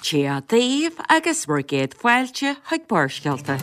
Dia daoibh agus bhur gcéad fáilte chuig Barrscéalta.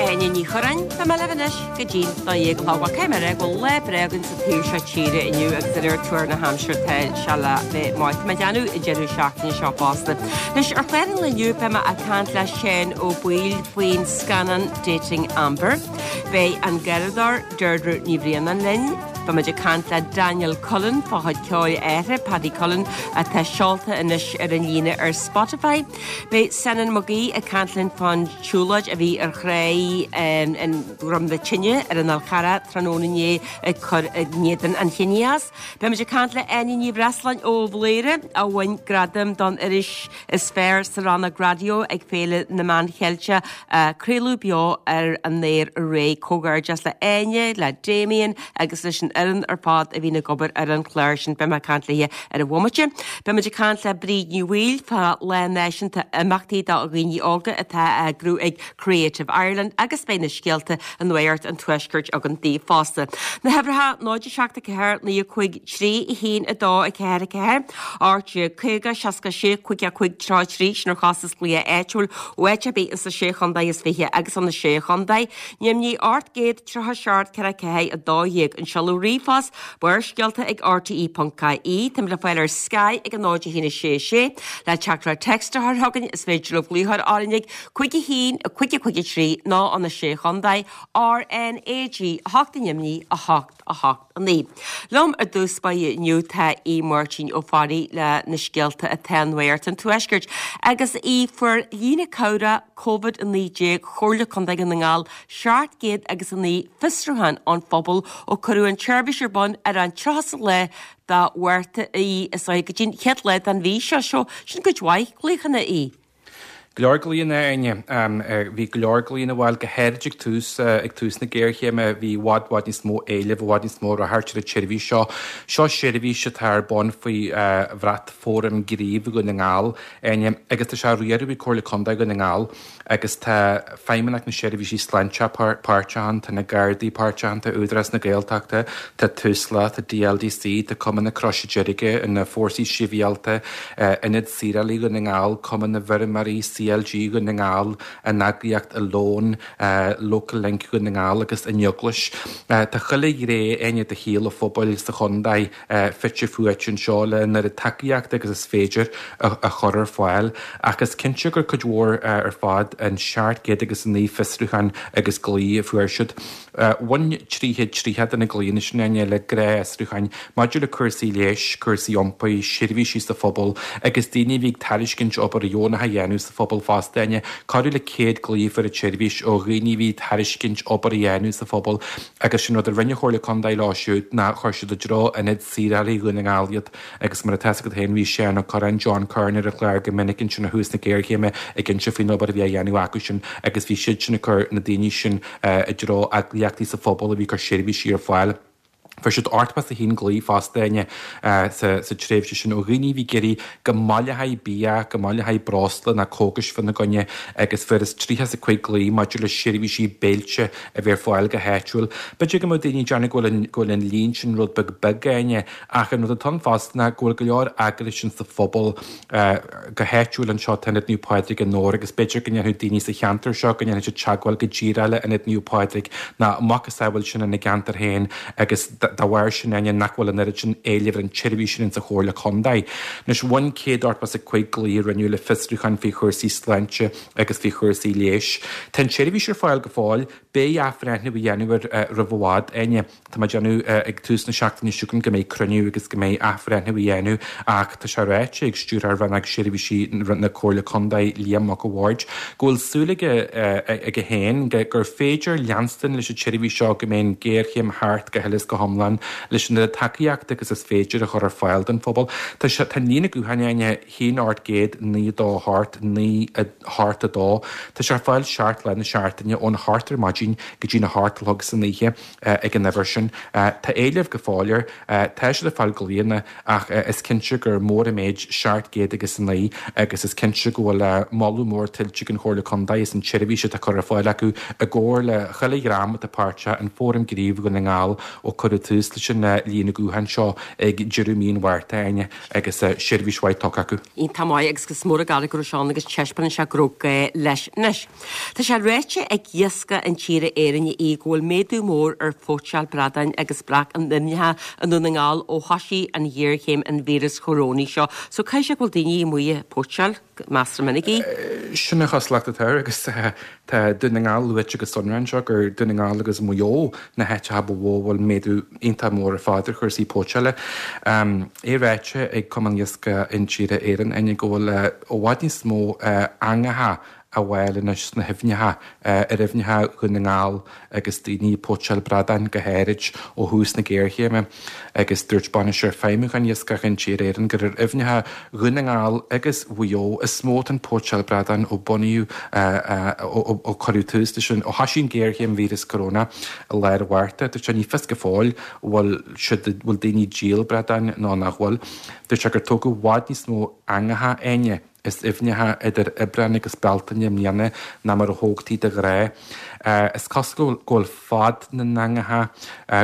Áine Ní Churráin, Tá mé libh anois go dtí'n 12 a chlog. Bhuel, caithfidh mé a rá go bhfuil lá breá againn sa taobh seo tíre inniu agus de réir tuar na haimsire tá sé le bheith maith. Tá mé ag déanamh an deireadh seachtaine seo fosta. Anois, ar chlár an lae inniu beidh mé ag caint le Seán Ó Baoill faoin scannán Dating Amber. Beidh an garraíodóir Deirdre Ní Bhraonáin linn. Beidh muid ag caint le Daniel Cullen fá chuid ceoil a athar, Paddy Cullen, atá seolta anois ar an líne ar Spotify. Beidh Senan Mag Aoidh ag caint linn fán tsiúlóid a bhí ar Thráigh Dhroim na Tine ar an Fhál Charrach tráthnóna inné ag cur in éadan an chiníochais. Beidh muid ag caint le Áine Ní Bhreasláin ó Bhléire a bhain gradam don iris is fearr sa rannóg raidió ag Féile na Meán Cheilteach a craoladh beo ar an aer aréir. Comhghairdeas le Áine, le Damien agus leis an fhoireann ar fad a bhíonn ag obair ar an chlár sin. Beidh mé ag caint léi ar an bhomaite. Beidh muid ag caint le Bríd Ní Bhaoill fá Lá Náisiúnta Imeachtaí do Dhaoine Óga atá á eagrú ag Creative Ireland agus beidh na scéalta i Nuacht an Tuaiscirt againn daoibh fosta. Na huimhreacha 0 7 4 9 5 3 1 2 4 4 18 50 66 5 5 33 sin ar chostas glaoch áitiúil ó áit ar bith insa sé chontae is fiche agus ó na sé chontae. Neimnigh 837 4 4 12 An seoladh ríomhphost, Barrscéalta ag rte.ie. Táimid le fáil ar Sky ag 0 1 6 6. Le teachtaireacht text a chur chugainn is féidir libh glaoch orainn ag 5 1 5 5 3 nó ó na Sé Chontae, RnaG 8 neimní 8 8 9. Liom ar dtús báire inniu tá Aodh Máirtín Ó Fearraigh le na scéalta atá i Nuacht an Tuaiscirt agus Aodh fuair líne cabhrach Covid-19 Chomhairle Contae Dhún na nGall 700 agus 9 fiosrúchán ón phobal ó cuireadh an tseirbhís ar bun ar an 30ú lá de Mhárta is go dtí an chéad lá den mhí seo. Seo sin cuid mhaith glaochanna Aodh. Go leor glaonna, a Áine. Bhí go leor glaonna, bhuel, go háirid ag tús, ag tús na géarchéime, bhí i bhfad, bhfad níos mó éilimh, i bhfad níos mó ráchairt ar an tseirbhís seo. Seo seirbhís atá ar bun faoi bhrat Fóram Gnímh Dhún na nGall, Áine, agus tá sé á riaradh ag Comhairle Contae Dhún na nGall agus tá Feidhmeannacht na Seirbhísí Sláinte páirteach ann, tá na Gardaí páirteach ann, tá Údarás na Gaeltachta, tá Tusla, tá DLDC, tá Cumann na Croise Deirge, na Fórsaí Sibhialta, Ionad Saorálaí Dhún na nGall, Cumann na bhFeirmeoirí, CLG Dhún na nGall, an eagraíocht Alone, Local Link Dhún na nGall agus an Eaglais. Tá chuile ghné, Áine, de shaol an phobail sa chontae fite fuaite anseo le an oiread tacaíochta agus is féidir a chur ar fáil. Ach is cinnte gur cuid mhór ar fad an 709 fiosrúchán agus glao a fuair siad. Bhain 330 de na glaonna sin, Áine, le gnáthfhiosrúcháin maidir le cúrsaí leighis, cúrsaí iompair, seirbhísí sa phobal agus daoine a bhí ag tairiscint obair dheonach a dhéanamh sa phobal fosta, Áine. Corradh le 100 glao a fuair an tseirbhís ó dhaoine a bhí ag tairiscint obair a dhéanamh sa phobal agus sin rud a rinne an Chomhairle Contae leo siúd ná chuir siad i dtreo Ionad Saorálaí Dhún na nGall iad. Agus mar atá a fhios agat féin, bhí Seán Ó Curráin, John Curran ar an chlár go minic ansin ó thús na géarchéime ag inse faoin obair a bhí á dhéanamh acu sin agus bhí siad sin ag cur na daoine sin i dtreo eagraíochtaí sa phobal a bhí ag cur seirbhísí ar fáil. Fuair siad 81 glao fosta, Áine, sa tréimhse sin ó dhaoine a bhí ag iarraidh go mbaileofaí bia, go mbaileofaí breosla nó cógais fána gcoinne agus fuarthas 35 glao maidir le seirbhísí béilte a bhí ar fáil go háitiúil. B'fhéidir go mbeadh daoine ag déanamh go bhfuil an líon sin rud beag beag, Áine, Ach an rud atá ann fosta ná go bhfuil go leor eagrais insa phobal, go háitiúil anseo, tá Ionad Naomh Pádraig i nDobhar agus b'fhéidir go ndéanfadh daoine sa cheantar seo, go ndéanfadh siad teagmháil go díreach le Ionad Naomh Pádraig nó a macasamhail sin ina gceantar féin agus dá bharr sin, Áine, nach bhfuil an oiread sin éilimh ar an tseirbhís sin insa Chomhairle Contae. Anois, bhain 185 glao a rinneadh le fiosrúcháin faoi chúrsaí sláinte agus faoi chúrsaí leighis. Tá an tseirbhís ar fáil go fóill, beidh athbhreithniú á dhéanamh air roimh i bhfad, Áine. Tá mé ag déanamh ag tús na seachtaine seo chugainn go mbeidh cruinniú agus go mbeidh athbhreithniú á dhéanamh ach tá sé ráite ag Stiúrthóir Rannóg Seirbhísí na Comhairle Contae, Liam Mac a' Bhaird, go bhfuil súil aige aige féin gur féidir leanstan leis an tseirbhís seo go mbeidh an ghéarchéim thart go huile is go hiomlán. hiomlán leis an oiread tacaíochta agus is féidir a chur ar fáil don phobal. Tá sé, tá an líne gutháin Áine, 1 800 9 2 8 9 8 2, tá sé ar fáil 7 lá na seachtaine ón 8 ar maidin go dtí'n 8 a chlog san oíche ag an uimhir sin. Tá éileamh go fóill air, tá siad ag fáil glaonna ach is cinnte gur mór an méid 700 agus 9 agus is cinnte go bhfuil moladh mór tuillte ag an Chomhairle Contae as an tseirbhís atá curtha ar fáil acu i gcomhar le chuile dhream atá páirteach in Fóram Gnímh Dhún na nGall ó cuireadh tús leis an líne gutháin seo ag deireadh mí an Mhárta, Áine, agus seirbhís mhaith tugtha acu. Iontach maith agus is mór an gar go raibh sé ann agus taispeánann sé go raibh gá leis. Anois, tá sé ráite ag Iascach Intíre Éireann í go bhfuil méadú mór ar phóitseáil bradáin agus breac in aibhneacha i nDún na nGall ó thoisigh an ghéarchéim an víreas chorónaigh seo. So caithfidh sé go bhfuil daoine amuigh ag póitseáil measartha minic í. Sin an chosúlacht atá air agus tá Dún na nGall luaite go sonrath anseo gur Dún na nGall agus Maigh Eo na háiteacha ba mhó a bhfuil méadú iontach mór ar fad ar chúrsaí póitseála. É ráite ag Cumann Iascaigh Intíre Éireann, Áine, go bhfuil i bhfad níos mó eangacha á bhfáil anois sna haibhneacha, ar aibhneacha Dhún na nGall agus daoine ag póitseáil bradáin go háirid ó thús na géarchéime agus dúirt Bainisteoir Feidhmiúcháin Iascach Intíre Éireann gur ar aibhneacha Dhún na nGall agus Mhaigh Eo is mó atá an póitseáil bradán ó bunaíodh, ó cuireadh tús leis an, ó thoisigh an ghéarchéim víreas corona i lár an Mhárta. Dúirt sé ní fios go fóill bhfuil siad, bhfuil daoine ag díol bradáin nó nach bhfuil. Dúirt sé gur tógadh i bhfad níos mó eangacha, Áine. is aibhneacha idir Aibreán agus Bealtaine i mbliana ná mar a thógtaí de ghnáth. Is cosúil go bhfuil fad na n-eangacha,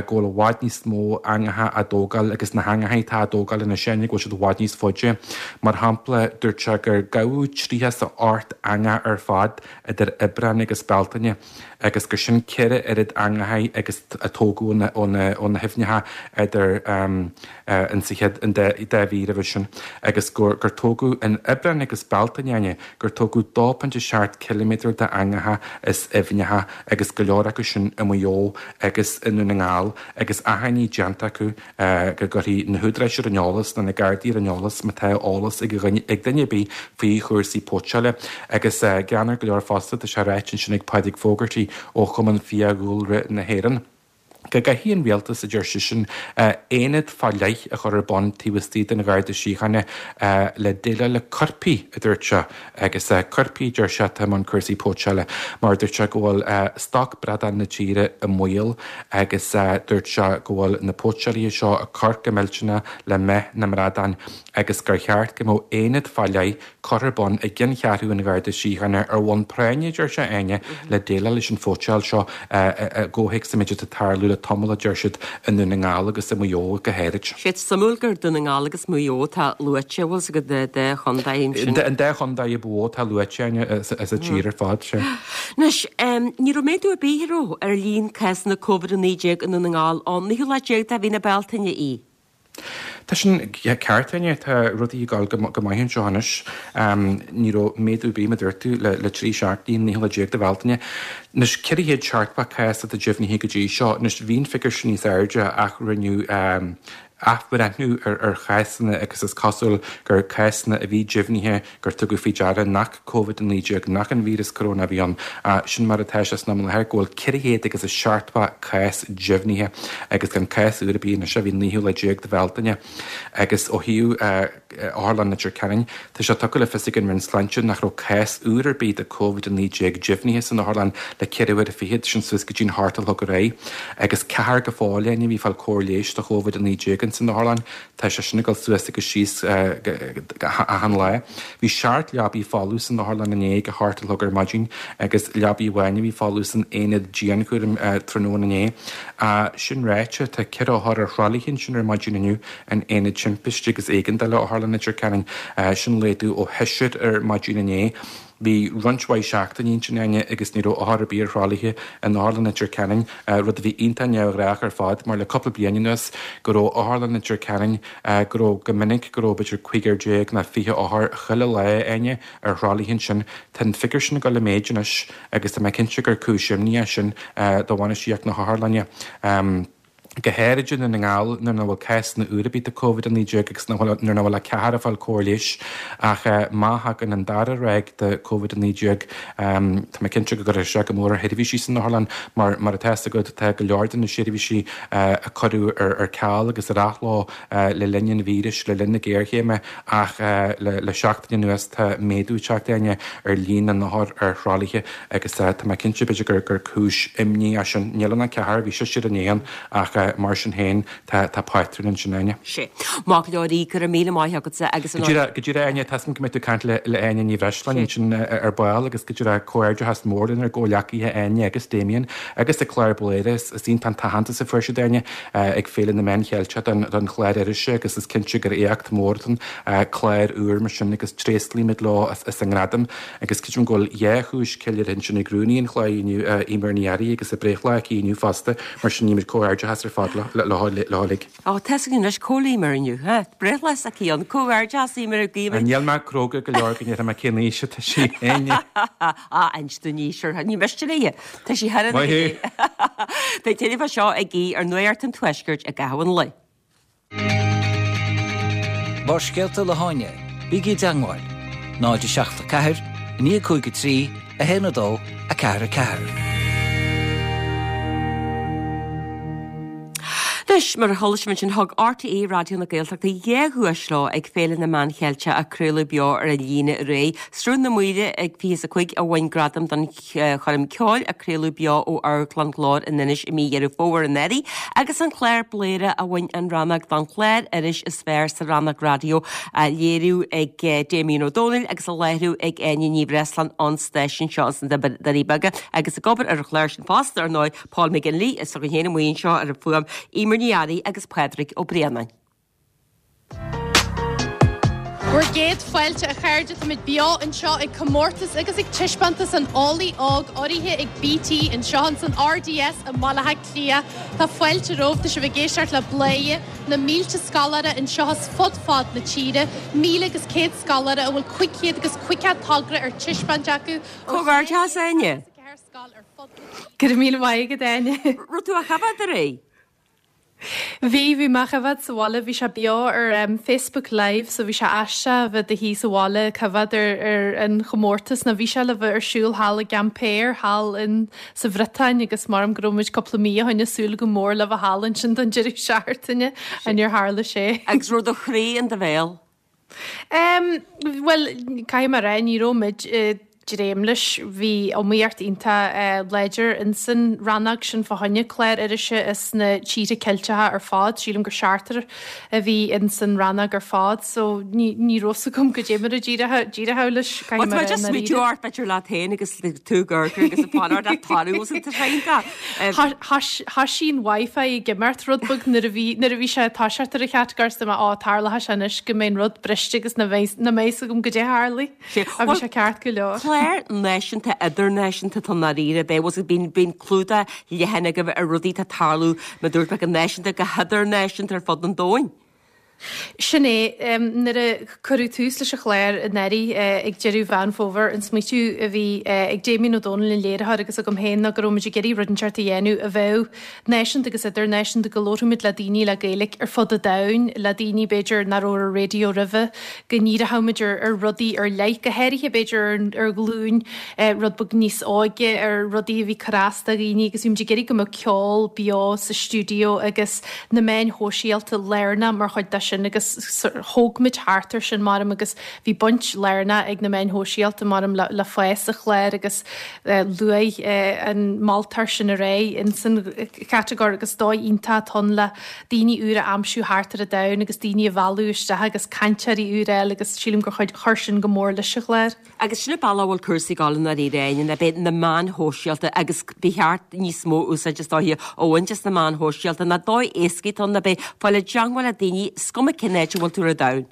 go bhfuil i bhfad níos mó eangacha á dtógáil agus na heangacha atá á dtógáil anois, Áine, go bhfuil siad i bhfad níos faide. Mar shampla, dúirt sé gur gabhadh 38 eangach ar fad idir Aibreán agus Bealtaine. agus gur sin 4 oiread eangacha agus a tógadh ó na haibhneacha idir an sa chéad an dá mhí roimhe sin, agus gur tógadh in Aibreán agus Bealtaine, Áine, gur tógadh 2.7 ciliméadar d'eangacha is aibhneacha agus go leor acu sin i Maigh Eo agus i Ndún na nGall agus achainí déanta acu go gcuirfí na húdaráis ar an eolas nó na Gardaí ar an eolas má tá eolas ag duine ar bith faoi chúrsaí póitseála. Agus greannmhar go leor fosta, tá sé ráite ansin ag Pádraig Fogarty ó Chumann Fiadhúlra na hÉireann, go gcaithfidh an rialtas, a deir seisean, aonad fá leith a chur ar bun taobh istigh den Gharda Síochána le déileáil le coirpigh, a dúirt sé. Agus coirpigh, a deir sé, atá i mbun cúrsaí póitseála, mar dúirt sé go bhfuil stoc bradán na tíre i mbaol agus dúirt sé go bhfuil na póitseálaithe seo ag cur go millteanach le meath na mbradán agus gur cheart go mbeadh aonad fá leith curtha ar bun i gceanncheathrú an Gharda Síochána ar bhonn práinne, a deir sé, Áine, le déileáil leis an phóitseáil seo i gcomhthéacs an méid atá ag tarlú le tamall, a deir siad, i nDún na nGall agus i Maigh Eo go háirid. Sé suimiúil gur Dún na nGall agus Maigh Eo atá luaite, bhfuil 's agat, an dá chontae ansin. An dá chontae ba mhó atá luaite, Áine, sa tír ar fad, sea. Anois, ní raibh méadú ar bith, an raibh, ar líon cásanna Covid-19 i nDún na nGall ón naoú lá déag de mhí na Bealtaine í. Tá sin ceart, Áine. Tá rudaí ag dul go maith anseo anois. Ní raibh méadú ar bith, mar a dúirt tú, le 3 seachtainí, an naoú lá déag de Bhealtaine. Anois, 470 cás atá deimhnithe go dtí seo. Anois, bhí an figiúr sin níos airde ach rinneadh athbhreithniú ar chásanna agus is cosúil gur cásanna a bhí deimhnithe gur tugadh faoi deara nach Covid-19, nach an víreas coróna a bhí ann. Sin mar atá sé san am i láthair, go bhfuil 400 agus a 70 cás deimhnithe agus gan cás úr ar bith anois ó bhí an naoú lá déag de Bhealtaine. Agus ó thaobh Otharlann Leitir Ceanainn, tá sé tugtha le fios ag an Roinn Sláinte nach raibh cás úr ar bith de Covid-19 deimhnithe san otharlann le ceithre huaire fichead, sin suas go dtí'n hocht a chlog aréir. Agus ceathrar go fóill, Áine, a bhí ag fáil cóir leighis do Covid-19 ins an otharlann. Tá sé sin ag dul suas agus síos achan lá. Bhí seacht leabaí folamh san otharlann inné ag a hocht a chlog ar maidin agus leabaí amháin a bhí folamh san aonad dianchúraim tráthnóna inné. Sin ráite, tá ceithre othar ar thralaithe ansin ar maidin inniu in aonad timpiste agus éigeandála Otharlann Leitir Ceanainn. Sin laghdú ó sheisear ar maidin inné. Bhí roinnt mhaith seachtainí ansin, Áine, agus ní raibh othar ar bith ar thralaithe in Otharlann Leitir Ceanainn, rud a bhí iontach neamhghnách ar fad, mar le cúpla bliain anuas go raibh Otharlann Leitir Ceanainn, go raibh go minic go raibh b'fhéidir cúigear déag nó 20 othar chuile lá, Áine, ar thralaithe ansin. Tá an figiúr sin ag dul i méid anois agus tá mé cinnte gur cúis imní é sin do bhainistíocht na hotharlainne. Go háirid i nDún na nGall nuair nach bhfuil cásanna úr ar bith de Covid-19 agus nuair nach bhfuil ach ceathrar ag fáil cóir leighis. Ach má thagann an dara ráig de Covid-19, tá mé cinnte go gcuirfidh sé go mór ar sheirbhísí san otharlann mar, mar atá fhios agat, tá go leor de na seirbhísí a cuireadh ar ceal agus ar athló le linn an víris, le linn na géarchéime ach le seachtain anuas tá méadú ag teacht, Áine, ar líon na n-othar ar thralaithe agus tá mé cinnte b'fhéidir gur cúis imní é sin. Níl ann ach ceathrar, bhí seisear inné ann ach mar sin féin tá pátrún ansin, Áine. Sea. Maith go leor, go raibh míle maith agatsa agus an. Go díreach, go díreach Áine, tá 'fhios a'm go mbeidh tú ag caint le Áine Ní Bhreisleáin ansin ar ball agus go díreach comhghairdeachas mór lenár gcomhghleacaithe Áine agus Damien agus an clár Bladhaire. Is iontach an t-aitheantas a fuair siad Áine ag Féile na Meán Cheilteach don chlár irise agus is cinnte gur éacht mór atá ann clár úr mar sin agus tréaslaímid leo as an ngradam agus creidim go bhfuil dhá chúis ceiliúrtha ansin ag rúnaí an chláir inniu, Eimear Ní Fhearraigh agus a breithlá aici inniu fosta, mar sin guímid comhghairdeachas ar fad leo uilig. Ó, tá 'fhios againn anois cá bhfuil Eimear inniu, ha? Breithlá s'aici ann, comhghairdeachas Eimear a guímid. Níl mé cróga go leor go ndéarfaidh mé cén aois atá sí, Áine. Á, inis dúinn í, sure, ní miste léi. Tá sí thar an Maith thú! Beidh tuilleadh fá seo ag Aodh ar Nuacht an Tuaiscirt i gcaitheamh an lae. Barrscéalta le hÁine, bígí i dteangmháil, 0 7 4 9 5 3 1 2 4 4. Anois, mar a chuala sibh ansin, thug RTÉ Raidió na Gaeltachta dhá dhuais leo ag Féile na Meán Cheilteach a craoladh beo ar an líne aréir. Sruth na Maoile ag 25 a bhain gradam don choirm ceoil a craoladh beo ó Amharclann Ghlór in Inis i mí Dheireadh Fómhair anuraidh agus an clár Bladhaire a bhain an rannóg don chlár iris is fearr sa rannóg raidió á léiriú ag Damien Ó Dónaill agus á láithriú ag Áine Ní Bhreisleáin ón stáisiún seo ins na Doirí Beaga agus ag obair ar an chlár sin fosta ar ndóigh Paul McGinley is againn féin amuigh anseo ar an bhfuaim Eimear Ní Fhearraigh agus Pádraig Ó Braonáin. Bhur gcéad fáilte a chairde, táimid beo anseo ag comórtas agus ag taispeántas an Eolaí Óg urraithe ag BT anseo ins an RDS i mBaile Átha Cliath. Tá fáilte romhaibh, tá sibh ag éisteacht le Bladhaire, na mílte scoláire anseo as fud fad na tíre, 1,100 scoláire a bhfuil 500 agus 50 togra ar taispeáint acu ó Comhghairdeas Áine! 64 scoil ar fud na tíre. Go raibh míle maith agat Áine. Raibh tú á choimhéad aréir? Bhí, bhí mé á choimhéad sa bhaile, bhí sé beo ar Facebook Live so bhí sé aisteach a bheith i do shuí sa bhaile ag coimhéad ar ar an chomórtas nó bhí sé le bheith ar siúl thall i gCampéir thall in sa Bhriotáin agus maram go raibh muid cúpla mí ó shin ag súil go mór le bheith thall ansin don deireadh seachtaine ach níor tharla sé. Agus raibh do chroí in do bhéal? Em, bhuel, caithfidh mé a rá, ní raibh muid ag dréim leis. Bhí iomaíocht iontach láidir insan rannóg sin fá choinne clár irise as na tíortha Ceilteacha ar fad. Sílim gur seachtar a bhí insan rannóg ar fad, so ní, ní raibh 's agam goidé mar a d'éireodh leis, caithfidh mé a rá i ndáiríre. Bhuel, tá mé just smaoitiú ort, b'fhéidir leat féin agus tú ag amharc agus ag fanacht le toradh os an tréan. Thoisigh an Wi-Fi ag imeacht rud beag nuair a bhí nuair a bhí sé ag toiseacht ar an chatagóir is dúirt mé ó tarlóidh sé anois go mbeidh an rud briste agus nach mbeidh nach mbeidh 'fhios agam goidé a tharlaigh. Ach bhí sé ceart go leor. Clár náisiúnta idirnáisiúnta atá i ndáiríre bheith bhfuil bíonn bíonn clúdach leathan agaibh ar rudaí atá ag tarlú mar dúirt mé go náisiúnta go hidirnáisiúnta ar fud an domhain. Sin é. Nuair a cuireadh tús leis an chlár anuraidh ag deireadh Mheán Fómhair, an smaoitiú a bhí ag Damien Ó Dónaill, an léiritheoir, agus agam féin ná go raibh muid ag iarraidh rud inteacht a dhéanamh a bheadh náisiúnta agus idirnáisiúnta, go labharfadh muid le daoine le Gaeilge ar fud an domhain, le daoine b'fhéidir nach raibh ar an raidió roimhe, go ndíreochadh muid ar rudaí ar leith, go háirithe b'fhéidir ar ghlúin rud beag níos óige, ar rudaí a bhí ag cur as do dhaoine agus bhí muid ag iarraidh go mbeadh ceol beo sa stiúideo agus na meáin shóisialta lárnach mar chuid de sin agus thóg muid thart ar sin maram agus bhí baint lárnach ag na meáin shóisialta maram le fás an chláir agus luaigh an moltóir sin ar aghaidh ins an chatagóir agus dóigh iontach atá ann le daoine úra a aimsiú thart ar an domhan agus daoine a mhealladh isteach agus cainteoirí úra a fháil agus sílim gur chuir sin go mór leis an chlár. Agus sin an bealach a bhfuil cúrsaí ag dul i ndáiríre, Áine, ná beidh na meáin shóisialta agus ba cheart níos mó úsáid is dóiche a bhaint as na meáin shóisialta ná dóigh éasca atá ann ná beidh fáil i dteangmháil le daoine, is cuma cén áit a bhfuil tú ar an domhan.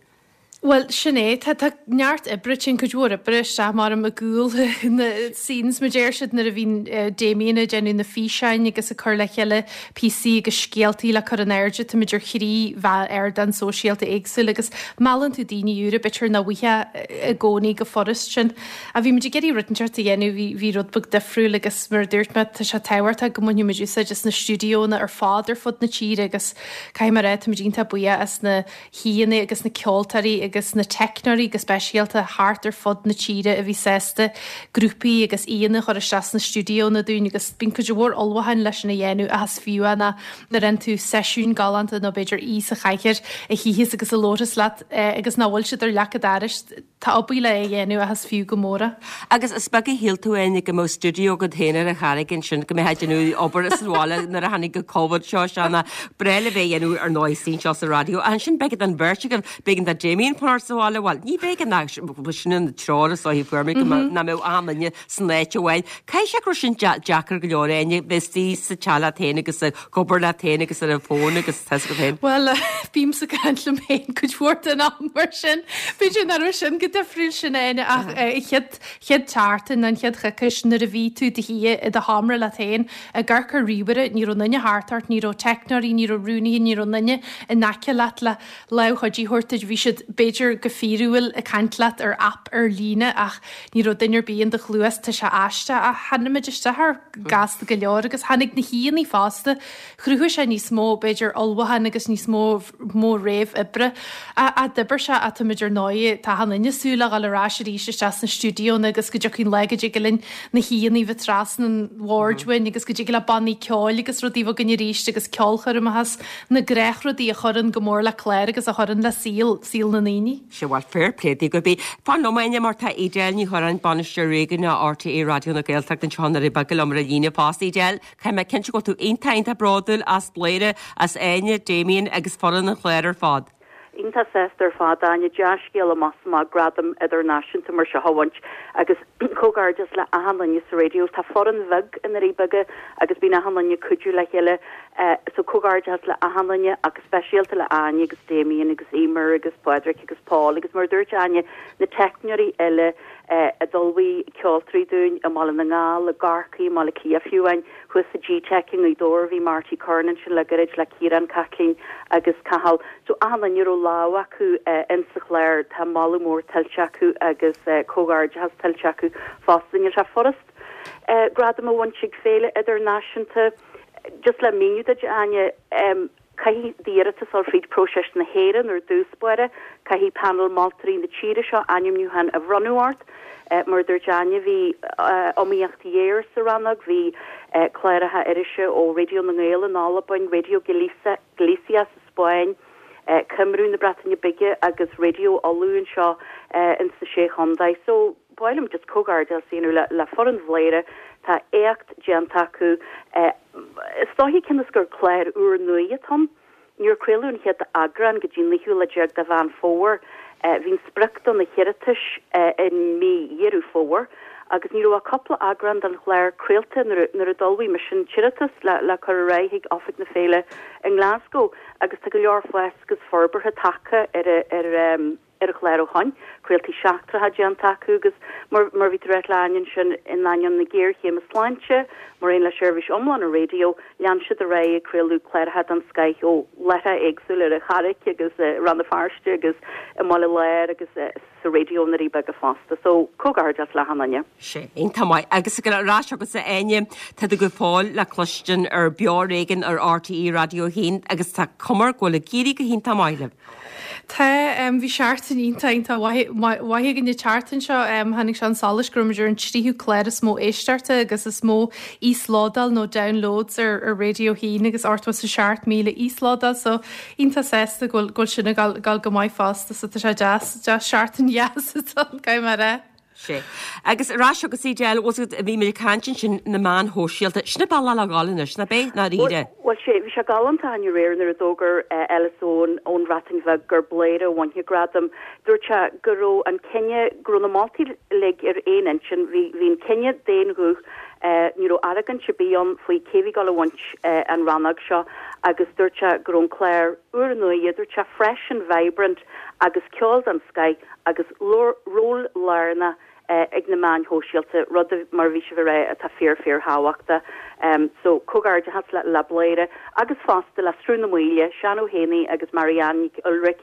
Bhuel, sin é. Tá, tá neart oibre, téann cuid mhór oibre isteach maram i gcúl na scenes, mar deir siad, nuair a bhíonn Damien ag déanamh na físeáin agus ag cur le chéile píosaí agus scéaltaí le cur in airde. Táimid ar thrí ardán sóisialta éagsúil agus meallann tú daoine úra, b'fhéidir nach bhfaighfeá i gcónaí go furast sin. Ach bhí muid ag iarraidh rud inteacht a dhéanamh, bhí, bhí rud beag difriúil agus mar a dúirt mé, tá sé tábhachtach go mbainfidh muid úsáid as na stiúideónna ar fad ar fud na tíre agus caithfidh mé a rá, táimid iontach buíoch as na haíonna agus na ceoltóirí agus na teicneoirí go speisialta thart ar fud na tíre a bhí sásta grúpaí agus aíonna a chur isteach sna stiúideónna dúinn agus bíonn cuid mhór ullmhúcháin leis sin a dhéanamh ach is fiú é nuair a fhaigheann tú seisiún galánta nó b'fhéidir aoi sa chathaoir a shuífeas agus a labharfas leat agus nach bhfuil siad ar leac an dorais. Tá obair le é dhéanamh ach is fiú go mór é. Agus is beag a shíl tú Áine go mbeadh stiúideo agat féin ar an Charraig ansin, go mbeifeá ag déanamh obair as an bhaile nuair a tháinig an Covid seo isteach ná breá le bheith a dhéanamh ar ndóigh istigh anseo sa raidió. Ach ansin b'éigean don bheirt agaibh, b'éigean do Damien fanacht sa bhaile, bhuel ní b'éigean ach sin an treoir is dóichí a fuair mé go mbeadh, nach mbeadh achan duine san áit amháin. Caithfidh sé go raibh sin deacair go leor Áine, bheith istigh sa teach leat féin agus ag obair leat féin agus ar an bhfón agus tá 'fhios agat féin. Bhuel, bímse ag caint liom féin cuid mhór den am mar sin. B'fhéidir nach raibh sin go difriúil sin Áine ach an chéad, chéad tseachtain, an chéad choicís nuair a bhí tú i do shuí i do sheomra leat féin ag amharc ar ríomhaire, ní raibh aon duine thart ort, ní raibh teicneoirí, ní raibh rúnaithe, ní raibh aon duine in aice leat le lámh chuidithe a thabhairt duit. Bhí siad, b'fhéidir, go fíorúil ag caint leat ar aip ar líne ach ní raibh duine ar bith in do chluas. Tá sé aisteach ach tháinig muid isteach air gasta go leor agus tháinig na haíonna fosta. Chruthaigh sé níos mó, b'fhéidir, ullmhúcháin agus níos mó mó réamh-oibre. Ach d'oibir sé ach táimid ar ndóigh, tá achan duine ag súil le dhul ar ais arís isteach sna stiúideónna agus go dtiocfaidh an lá go dtig linn na haíonna a bheith trasna an bhoird uainn agus go dtig le bannaí ceoil agus rudaí a bheith againn arís agus ceolchoirmeacha is na gnáthrudaí a chuireann go mór le clár agus a chuireann le saol, saol na ndaoine. Sea, bhuel, fair play daoibh go bith. Fan liom, Áine, mar tá Edel Ní Churráin, Bainisteoir Réigiúnach RTÉ Raidió na Gaeltachta anseo i nDoirí Beaga liom ar an líne fosta. Edel, caithfidh mé cinnte go bhfuil tú iontach, iontach bródúil as Bladhaire, as Áine, Damien agus foireann an chláir ar fad. Iontach sásta ar fad, Áine. Dea-scéal amach is amach gradam idirnáisiúnta mar seo a bhaint agus comhghairdeas le achan duine sa raidió. Tá foireann bheag i nDoirí Beaga agus bíonn achan duine ag cuidiú le chéile. So comhghairdeas le achan duine ach go speisialta le Áine agus Damien agus Emer agus Pádraic agus Paul agus mar a dúirt Áine, na teicneoirí eile a d'ullmhaigh ceoltóirí dúinn i mBaile na nGall, i gCorcaigh, i mBaile Átha Cliath fiú amháin. Thuas sa G-Tech i nGaoth Dobhair bhí Marty Curran ansin le gairid le Ciarán, Caitlín agus Cathal. So achan duine a raibh lámh acu in sa chlár tá moladh mór tuillte acu agus comhghairdeachas tuillte acu fosta. Níl sé furast gradam a bhaint ag féile idirnáisiúnta. Just le míniú duit, Áine, Caithfidh d'iarratas dul fríd próiseas na hÉireann ar dtús báire. Caithfidh panel moltóirí na tíre seo ainmniúchán a bhronnadh ort. Mar a dúirt Áine, bhí iomaíocht ghéar sa rannóg. Bhí cláracha irise ó Raidió na nGael in Albain, Raidió Galicia sa Spáinn, Cymru na Breataine Bige agus Raidió Uladh anseo ins na Sé Chontae. So, ba mhaith liom just comhghairdeas a dhéanamh le foireann Bhladhaire. Tá éacht déanta acu. Is dóiche cionn is gur clár úrnua atá ann, níor craoladh an chéad eagrán go dtí an naoú lá déag de Mheán Fómhair. Bhí an sprioc do na hiarratais i mí Dheireadh Fómhair agus ní raibh ach cúpla eagrán den chlár craolta nuair a d'ullmhaigh mise an t-iarratas le cur ar aghaidh chuig oifig na féile i nGlasgow agus tá go leor fás agus forbartha tagtha ar an ar an chlár ó shoin, craoltaí seachtracha déanta acu agus mar mar bhí tú ag ráit le Áine ansin, in ainneoin na géarchéime sláinte, mar aon le seirbhís iomlán an raidió, lean siad ar aghaidh ag craoladh cláracha den scoith ó láithreacha éagsúla ar an Charraic agus i Rann na Feirste agus i mBaile Láir agus sa raidió i nDoirí Beaga fosta. So, comhghairdeas le achan duine. Sea, iontach maith. Agus ag ar ais chugatsa Áine, tá tú go fóill le cloistin ar Beo Ar Éigean ar RTÉ Raidió 1 agus tá cuma go bhfuil ag éirí go hiontach maith libh. Tá, bhí seachtain iontach, iontach mhaith, mhaith againn an tseachtain seo. Tháinig sé chun solais go raibh muid ar an tríú clár is mó éisteachta agus is mó íoslódáil nó downloads ar ar Raidió 1 agus 87,000 íoslódáil so iontach sásta go bhfuil go bhfuil sin ag dul dul go maith fosta so tá sé deas, deas seachtain dheas atá ann, caithfidh mé a rá. Sea. Agus ar ais chugatsa Edel, bhfuil 's agat, bhí muid ag caint ansin na meáin shóisialta, sin an bealach le dhul anois, nach b'é, ndáiríre? Bhuel, sea, bhí sé galánta Áine aréir nuair a d'fhógair Ellis Owen ón Bhreatain Bheag gur Bladhaire a bhain an gradam. Dúirt sé go raibh an cinneadh, go raibh na moltóirí uilig ar aon intinn, bhí, bhí an cinneadh d'aon ghuth, ní raibh argóint ar bith ann faoi cé bhí ag dul a bhaint an rannóg seo agus dúirt sé go raibh an clár úrnua, dúirt sé fresh and vibrant. Agus ceol den scoith agus ról lárnach ag na meáin shóisialta, rud, mar a bhí sibh a rá, atá fíor fíor thábhachtach. So, comhghairdeachas le le Bladhaire agus fosta le Sruth na Maoile, Seán Ó hÉanaí agus Marianne Nic Uilric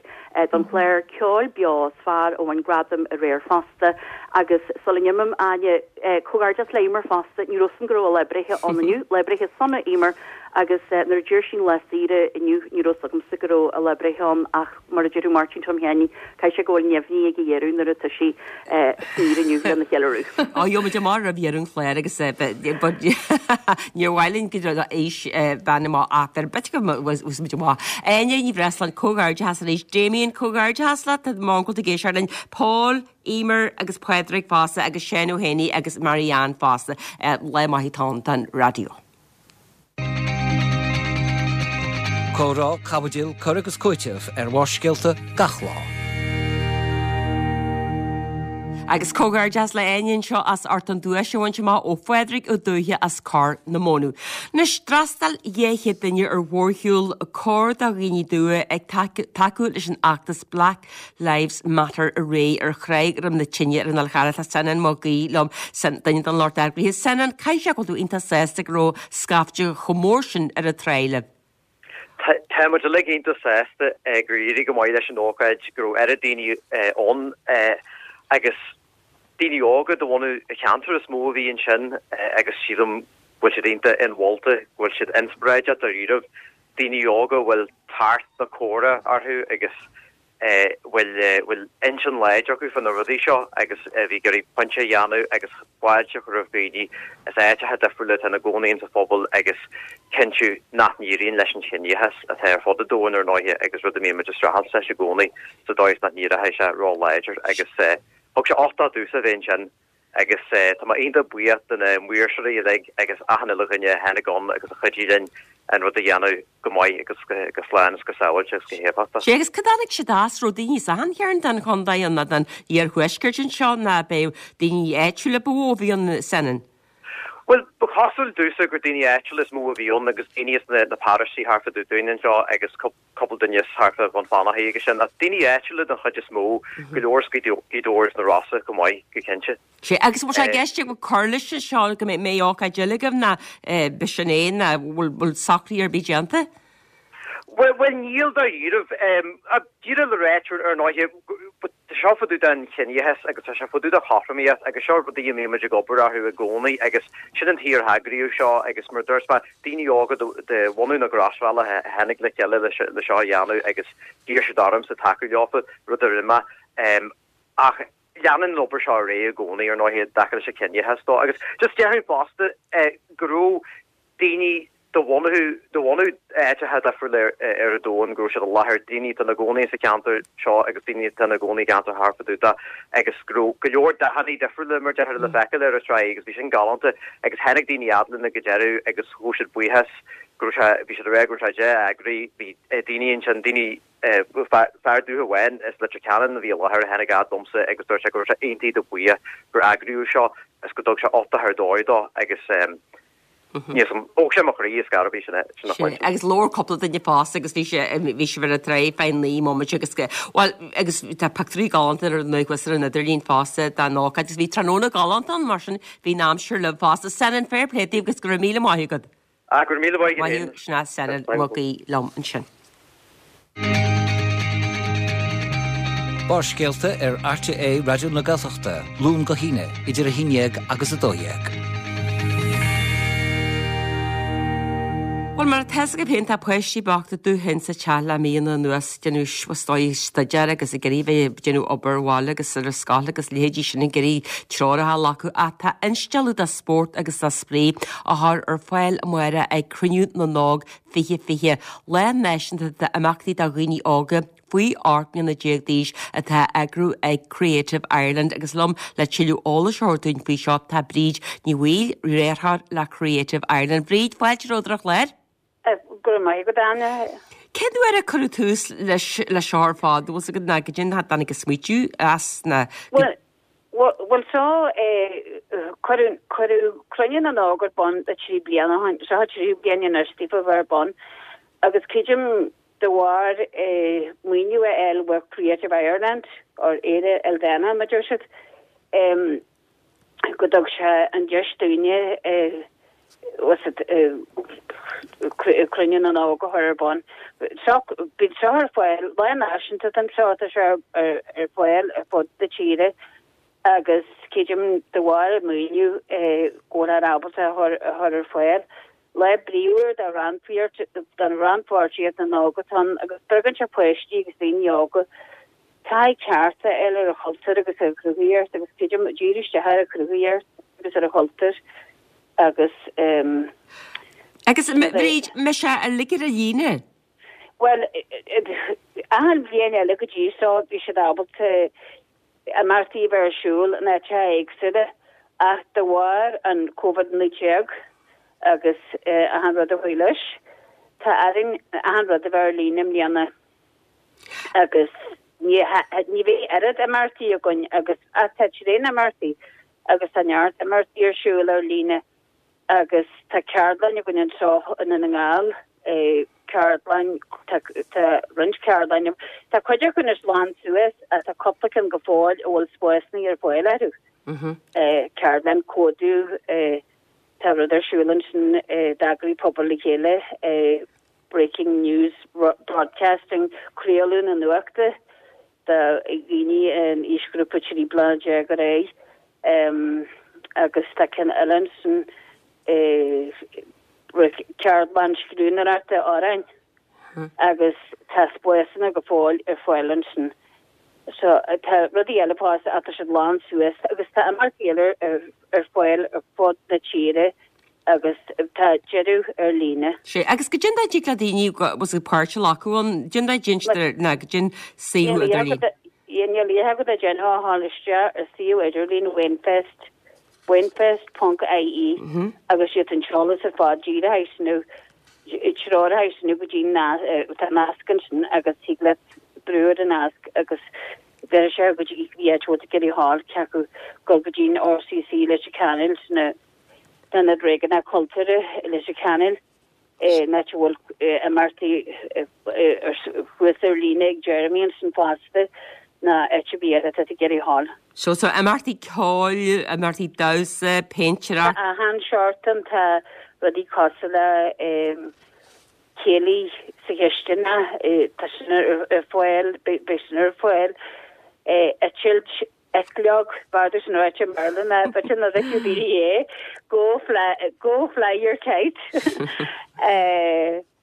don chlár ceoil beo is fearr a bhain gradam aréir fosta. Agus sula n-imím, Áine, comhghairdeas le Emer fosta, ní raibh 'fhios a'm go raibh a lá breithe ann inniu, lá breithe sona Emer, agus nuair a d'iarr sí an lá saoire inniu ní raibh 'fhios agamsa go raibh a lá breithe ann ach, Mar a déarfadh Máirtín Tom Sheáinín, caithfidh sé go bhfuil neamhní ag a dheireadh nuair atá sí saor inniu lena cheiliúradh. Ó, gheobhaidh muid amach roimh dheireadh an chláir agus níor mhaith linn go raibh aois bean amach ach ar bit go bhfuil muid amach. Áine Ní Bhreisleáin, comhghairdeachas arís. Damien, comhghairdeachas leat, tá m'uncail ag éisteacht linn. Paul, Emer agus Pádraig fosta agus Seán Ó hÉanaí agus Marianne fosta. Lá maith atá ann don raidió. Comhrá, caibidil, cur agus cúiteamh ar Bharrscéalta gach lá. Agus comhghairdeas le Áine anseo as ucht an duais a bhaint amach ó Phádraig Ó Dubhthaigh as Corr na Mónadh. Anois, d'fhreastail 200 duine ar mhórshiúl Cóir do Dhaoine Dubha ag tacú leis an fheachtas Black Lives Matter aréir ar Thráigh Dhroim na Tine ar an Fhál Charrach. Tá Senan Mac Aoidh liom, duine den lucht eagraithe. Senan, caithfidh sé go bhfuil tú iontach sásta go raibh scaifte chomh mór sin ar an tráigh libh. Tá muid uilig iontach sásta gur éirigh go maith leis an ócáid, go raibh oiread daoine ann agus daoine óga de bhunadh an cheantair is mó a bhí ansin agus sílim go bhfuil siad iontach inmholta, go bhfuil siad inspioráideach dáiríribh. daoine óga a bhfuil tart na córa orthu agus a bhfuil bhfuil intinn láidir acu fá na rudaí seo agus a bhí ag iarraidh pointe a dhéanamh agus fáilte a chur roimh dhaoine as áiteacha difriúla atá ina gcónaí insa phobal agus cinntiú nach n-éiríonn leis an chiníochas atá ar fud an domhain ar ndóighe agus rud a mbíonn muid ag streachailt leis i gcónaí sa dóigh is nach n-éireoidh sé ró-láidir agus thug sé uchtach domhsa a bheith ansin. Agus tá mé iontach buíoch de na maoirseoirí uilig agus achan uile dhuine a tháinig ann agus a chuidigh linn an rud a dhéanamh go maith agus go slán agus go sábháilte agus go héifeachtach. Sea, agus cá dtáinig siad as? Raibh daoine as achan chearn den chontae ann, nó den iarthuaisceart anseo, nó ab é daoine áitiúla ba mhó a bhí ann, Senan? Bhuel, ba chosúil domhsa gur daoine áitiúla is mó a bhí ann agus daoine as na paróistí thart fá dtaobh dúinn anseo agus cúpla duine as thart fá Bhun Fionnachaidh agus sin, ach daoine áitiúla den chuid is mó, go leor as Gaoth Dobhair is na Rosa chomh maith, go cinnte. Sea, agus an bhfuil sé i gceist agaibh cur leis seo go mbeidh ócáid eile agaibh nó b'shin é nó bhfuil socruithe ar bith déanta? Bhuel, níl dáiríribh. Díreach le ráit ar ndóighe, Tá seo fá dtaobh den chiníochas agus tá sé fá dtaobh de chothromaíocht agus seo rudaí a mbíonn muid ag obair orthu i gcónaí agus sin an tuige ar eagraíodh seo agus mar a dúirt mé, daoine óga de bhunadh na gCrosbhealaí a tháinig le chéile le seo a dhéanamh agus d'iarr siad ormsa tacú leofa, rud a rinne mé. Ach leanann an obair seo ar aghaidh i gcónaí ar ndóighe i dtaca leis an chiníochas dó agus just déarfainn fosta go raibh daoine de bhunadh de bhunadh áiteacha difriúla ar an domhan go raibh siad i láthair, daoine atá ina gcónaí sa cheantar seo agus daoine atá ina gcónaí i gceantar thart fá dtaobh de agus go raibh go leor dathanna difriúla mar déarfá le feiceáil ar an tráigh agus bhí sin galánta agus tháinig daoine fhad linn ag an deireadh agus ghabh siad buíochas go raibh sé bhí siad ag rá go raibh sé dea-eagraithe, bhí daoine ansin, daoine fear dúiche amháin as Leitir Ceanainn a bhí i láthair a tháinig fhad liomsa agus dúirt sé go raibh sé iontach buíoch gur eagraíodh seo is go dtug sé uchtach ar dóigh dó agus Níl 's a'm, thóg sé mo chroí ar scor ar bith, sin a chluinstin. Agus labhair cúpla duine fosta agus bhí sé, bhí sibh ar an tráigh fá 9 mbomaite agus go, bhuel, agus tá pictiúirí galánta ar ndóigh thuas ar an idirlíon fosta den ócáid agus bhí tráthnóna galánta ann mar sin bhí an aimsir libh fosta. Senan, fair play daoibh agus go raibh míle maith agat. Ah, go raibh míle maith agat féin. Maith thú, sin é Senan Mac Aoidh liom ansin. Barrscéalta ar RTÉ Raidió na Gaeltachta, Luan go hAoine, idir 11 agus 12. Bhuel, mar atá 'fhios agaibh féin, tá páistí bochta dúshain sa teach le míonna anuas, ag déanamh, is dóigh, staidéar agus ag iarraidh bheith ag déanamh obair bhaile agus ar an scoil agus leithéidí sin ag iarraidh treoracha a ghlacadh. Ach tá instealladh de spórt agus de spraoi á chur ar fáil amárach ag Cruinniú na nÓg 2020, lá náisiúnta d'imeachtaí do dhaoine óga faoi 18 mbliana d'aois atá á eagrú ag Creative Ireland agus liom le tuilleadh eolais a thabhairt dúinn faoi seo tá Bríd Ní Bhaoill, Riarthóir le Creative Ireland. Bríd, fáilte romhat ar an chlár. Go raibh maith agat, Áine. Cén uair a cuireadh tús leis seo ar fad? Bhfuil 's agat ná goidé a dtáinig an smaoitiú as ná Bhuel, Bhuel seo é, cuireadh, cuireadh Cruinniú na nÓg ar bun le 3 bliana ó shin, seo an tríú bliain anois daofa a bheith ar bun agus creidim. De bharr maoiniú a fháil ó Creative Ireland, or Éire Ildánach mar a deir siad, go dtug sé an deis dúinne Cruinniú na nÓg a chur ar bun. Bíonn seo ar fáil, lá náisiúnta den seo, tá sé ar fáil ar fud na tíre agus creidim de bharr an maoiniú go bhfuil ábalta a chur ar fáil. Lá bríomhar do rannpháirtíocht na n-óg atá ann agus spreagann sé páistí agus daoine óga taithí ceart a fháil ar an chultúr agus ar an chruthaitheacht agus creidim díriú isteach ar an chruthaitheacht agus ar an chultúr agus. Agus Bríd, mbeidh sé uilig ar líne? Bhuel, achan bhliain eile go dtí seo bhí siad ábalta imeachtaí a bheith ar siúl in áiteacha éagsúla ach de bharr an Covid-19 agus achan rud a chuaigh leis, tá orainn achan rud a bheith ar líne i mbliana agus ní bheidh oiread imeachtaí againn agus ach tá tréan imeachtaí agus tá neart imeachtaí ar siúl ar líne. Agus tá ceardlann againn anseo i nDún na nGall, ceardlann, tá roinnt ceardlann, tá cuid acu anois lán suas ach tá cúpla ceann go fóill a bhfuil spásanna ar fáil orthu. Ceardlann códú, tá rud ar siúl ansin d'eagraigh Pobal le Chéile, Breaking News Broadcasting, craoladh na nuachta do dhaoine in aoisghrúpa 13 bliana ar aghaidh agus tá ceann eile ansin, ceardlann scríbhneoireachta amhráin agus tá spásanna go fóill ar fáil ansin. So tá rudaí eile fosta ach tá siad lán suas agus tá imeachtaí eile ar fáil ar fud na tíre agus tá deireadh ar líne. Sea, agus goidé an dóigh a dtig le daoine bhfuil a páirt a ghlacadh ann, goidé an dóigh a deintear ná goidé an suíomh idirlín. Níl a fhios agat a déanfá a ghabháil isteach ar suíomh idirlín Wainfest, wainfest ponc ie agus iad an t-eolas ar fad díreach nó treoraithe nó go dtí tá nasc ansin agus thig leat brú ar an nasc agus bhéarfaidh sé go dtí cibé áit a bhfuil tú ag iarraidh a ghabháil cé acu dul go dtí an RCC Leitir Ceanainn san Ionad Réigiúnach Cultúrtha i Leitir Ceanainn in áit a bhfuil imeachtaí thuas ar líne ag Jeremy ansin fosta ná áit ar bith eile atá tú ag iarraidh a ghabháil. So, so imeachtaí ceoil, imeachtaí damhsa, péintéireacht. Tá achan seort ann, tá rudaí cosúil le céilí sa chisteanach, tá sin ar fáil, beidh sin ar fáil, eitilt eitleog, b'fhearr sin ráite i mBéarla ná b'fhéidir nach bhfeicfidh daoine é, go fly, go fly your kite,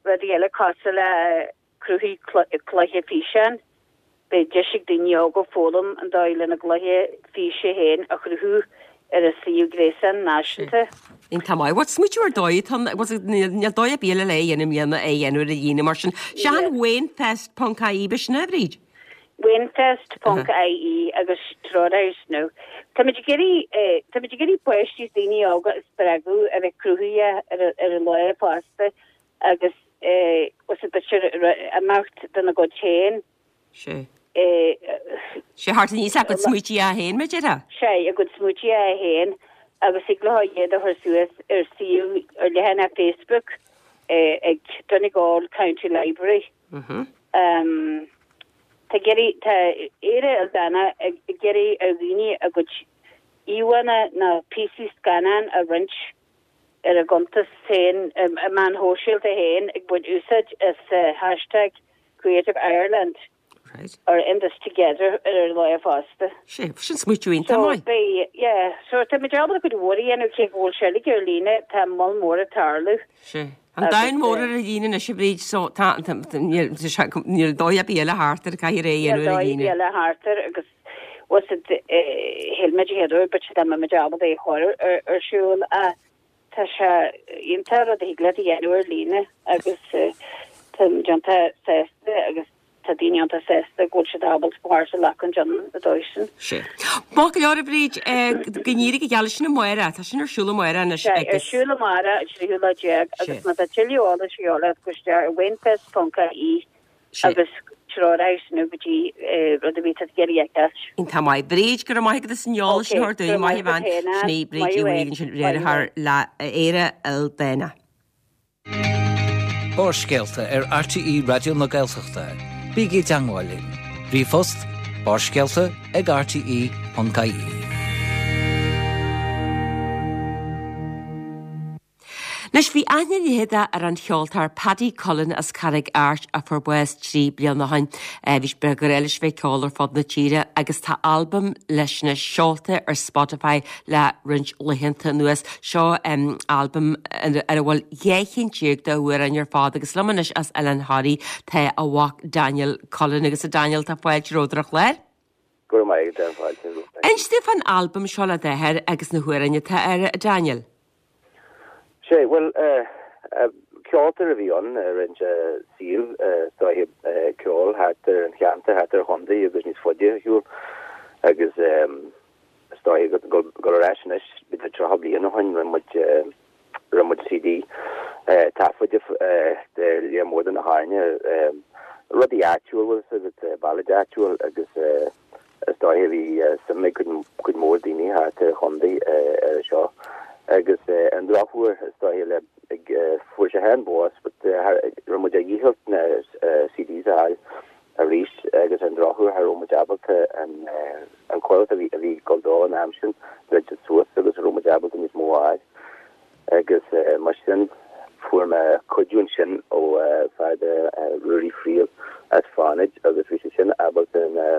rudaí eile cosúil le cruthaigh cluiche físeáin, beidh deis ag daoine óga foghlaim an dóigh lena gcluiche físe féin a chruthú ar a suíomh gréasáin náisiúnta. Iontach maith. Bhuel, smaoitiú ar dóigh atá ann, níl dóigh ar bith eile le é a dhéanamh i mbliana é a dhéanamh ar líne mar sin. Sea an Wainfest ponc ie, b'shin é, a Bhríd? Wainfest ponc ie agus treoraithe nó táimid ag iarraidh táimid ag iarraidh páistí is daoine óga a spreagadh a bheith cruthaitheach ar ar an lá fosta agus os b'fhéidir imeacht dena gcuid féin. Sea. Sea, theacht aníos le a gcuid smaoití féin, mar a déarfá? Sea, a gcuid smaoití féin agus thig leo iad a chur suas ar suíomh ar leathanach Facebook ag Donegal County Library. Tá tá Éire Ildánach ag iarraidh ar dhaoine a gcuid íomhánna nó píosaí scannán a roinnt ar a gcuntas féin meáin shóisialta féin ag baint úsáid as hashtag Creative Ireland or In This Together ar an lá fosta. Sea, sin smaoitiú iontach maith. So beidh, yeah, so tá muid ábalta cuid mhór a dhéanamh cé go bhfuil sé uilig ar líne, tá moll mór ag tarlú. Sea. An domhan mór ar líne anois a Bhríd, so tá, níl, níl dóigh ar bith eile thart air, caithfidh é a dhéanamh ar líne. Níl dóigh ar bith eile thart air agus was it, shíl muid an chéad uair but dá mbeadh muid ábalta é a chur ar siúl ach tá sé iontach rud a thig leat a dhéanamh ar líne agus tá muid iontach sásta agus tá daoine iontach sásta go bhfuil siad ábalta páirt a ghlacadh ann an dóigh sin. Sea. Maith go leor a Bhríd, go n-éirí go geal leis sin amárach, tá sin ar siúl amárach anois Sea, ar siúl amárach an tríú lá déag agus má tá tuilleadh eolais a dhíobháil ort gabh isteach ar wainfest.ie agus treoraithe nó go dtí rud a bhí tú ag iarraidh a fheiceáil. Iontach maith. Bríd, go raibh maith agat as an eolas sin a thabhairt dúinn. Maith a bhean. Sin í Bríd Uí Bhaoill ansin, riarthóir le Éire Ildánach. Barrscéalta ar RTÉ Raidió na Gaeltachta. Bígí i dteangmháil linn. Ríomhphost, barrscéalta ag rte.ie. Anois, bhí aithne leitheadach ar an cheoltóir Paddy Cullen as Carraig Airt a fuair bás 3 bliana ó shin. Bhí ba ghnách leis bheith ag ceol ar fud na tíre agus tá albam leis anois seolta ar Spotify le roinnt laethanta anuas. Seo albam ar a bhfuil 12 chinn d'amhráin ar fad agus liom anois as Oileán Thoraí tá a mhac Daniel Cullen agus a Daniel tá fáilte romhat ar an chlár. Go raibh maith agat, tá fáilte romhat. Inis dúinn fán albam seo le d'athair agus na hamhráin atá air, a Daniel. Sé, bhuel, ceoltóir a bhí ann, rinne sé saol, is dóiche, ceol thart ar an cheantar, thart ar an chontae agus níos faide ar shiúl agus is dóiche go dul ar ais anois, b'fhéidir 30 bliain ó shin, rinne muid, rinne muid CD taifeadta de lear mór de na hamhráin, rudaí áitiúil, bhfuil a fhios agat, ballads áitiúil agus. Is dóiche bhí suim ag cuid mhór daoine thart ar an chontae ar seo agus ar an drochuair is dóiche le fuair sé féin bás but raibh muid ar dhícheall na CDs a fháil arís agus ar an drochuair cha raibh muid ábalta an an comhlacht a bhí a bhí ag dul dó an am sin dhruid siad suas agus cha raibh muid ábalta níos mó a fháil agus mar sin fuair mé cuidiú ansin ó fear de Ruairí Friel as Fánaid agus bhí sé sin ábalta na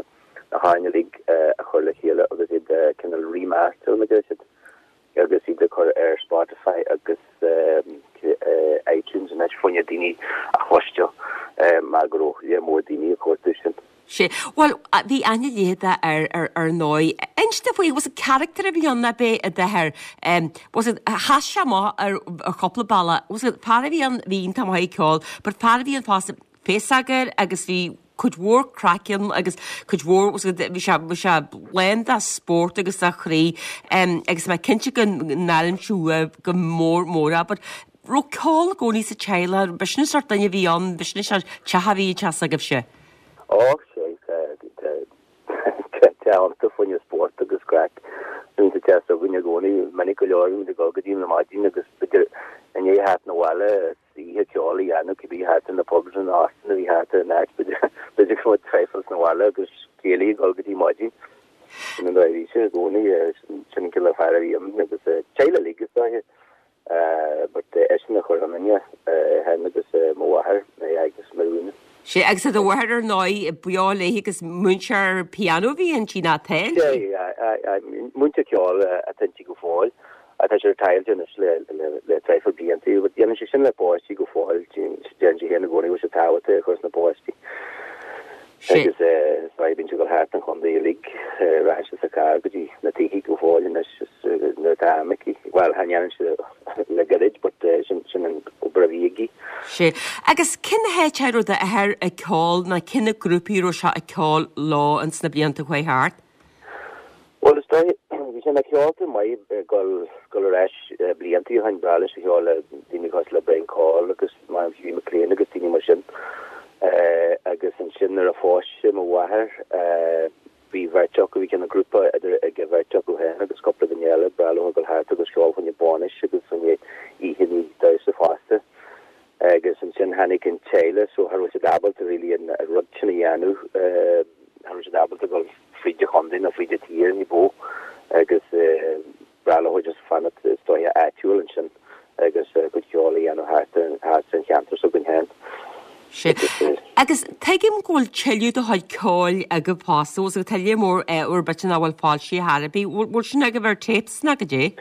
hamhráin uilig a chur le chéile agus iad a cineál remaster mar a deir siad agus iad a chur ar Spotify agus iTunes anois fá choinne daoine a chloisteáil mar go raibh lear mór daoine ag cuartú sin. Sea. Bhuel, bhí aithne leitheadach air ar ar ndóigh. Inis dúinn faoi, was it character a bhí ann ab é d'athair? Was it, sheas sé amach ar ar chúpla bealach. Was it fear a bhí ann, bhí iontach maith ag ceol, but fear a bhí ann fosta féasóg air agus bhí cuid mhór craic ann agus cuid mhór, was it, bhí sé, bhí sé lán de spórt agus de chroí agus mé cinnte go n-airímse uaidh go mór mór é, but raibh ceol i gcónaí sa teaghlach, b'shin an sórt duine a bhí ann, b'shin an sórt teach a bhí an teach s'agaibhse. Ó, sea, tá iontu fá choinne spórt agus craic. Bíonn sa teach s'againne i gcónaí, minic go leor, bíonn muid ag dul go dtí na maidin agus b'fhéidir i ndiaidh theacht 'na bhaile is oíche ceoil a dhéanamh cibé thart ar na pubs nó na hóstáin a bhí thart ar an áit, b'fhéidir go raibh traidhfil 'na bhaile agus céilí ag dul go dtí maidin. Sin an dóigh a bhí sé i gcónaí, sin an cineál fear a bhí ann agus teaghlach uilig is dóiche. But eisean a chuir ionainne, é féin agus mo mháthair, mé agus Marina. Sea, agus tá do mháthair ar ndóigh beo léi agus múinteoir pianó a bhí inti, nó atá inti? Sea, aye, múinteoir ceoil atá inti go fóill. Tá sí retired anois le traidhfil blianta, but dhéanann sí sin le páistí go fóill, deireann sí féin i gcónaí go bhfuil sé tábhachtach a chur sna páistí. Agus is dóigh bíonn sí ag dul thart an chontae uilig, rachaidh sí sa charr go dtí na tithe go fóill anois nuair atá am aici. Bhuel, cha ndéanann sí le gairid but sin an obair a bhí aici. Sea. Agus cén háit a raibh d'athair ag ceol nó cé na grúpaí a raibh sé ag ceol leo ins na blianta a chuaigh thart? Bhuel, is dóigh, bhí sé ina cheoltóir maith ag dul, dul ar ais blianta ó shin, b'bhreá leis a cheol le daoine cosúil le Brian Coyle agus Mam Hughie McLean agus daoine mar sin. Agus ansin nuair a phós sé mo mháthair, bhí bheirt acu, bhí cineál grúpa idir, ag an bheirt acu féin agus cúpla duine eile, b'bhreá leo a dhul thart agus ceol fá choinne bainis agus fá choinne oícheanna damhsa fosta. Agus ansin tháinig an teaghlach so cha raibh siad ábalta really an rud sin a dhéanamh, cha raibh siad ábalta dul fríd an chontae nó fríd an tír ní ba mhó agus b'bhreá leo just fanacht is dóiche áitiúil ansin agus a gcuid ceoil a dhéanamh thart thart san cheantar s'againn féin. Sea. Agus tuigim go bhfuil tuilleadh do chuid ceoil agaibh fosta, bhfuil tá lear mór úr bit nach bhfuil foilsithe chor ar bith. Bhfuil sin agaibh ar tapes nó goidé?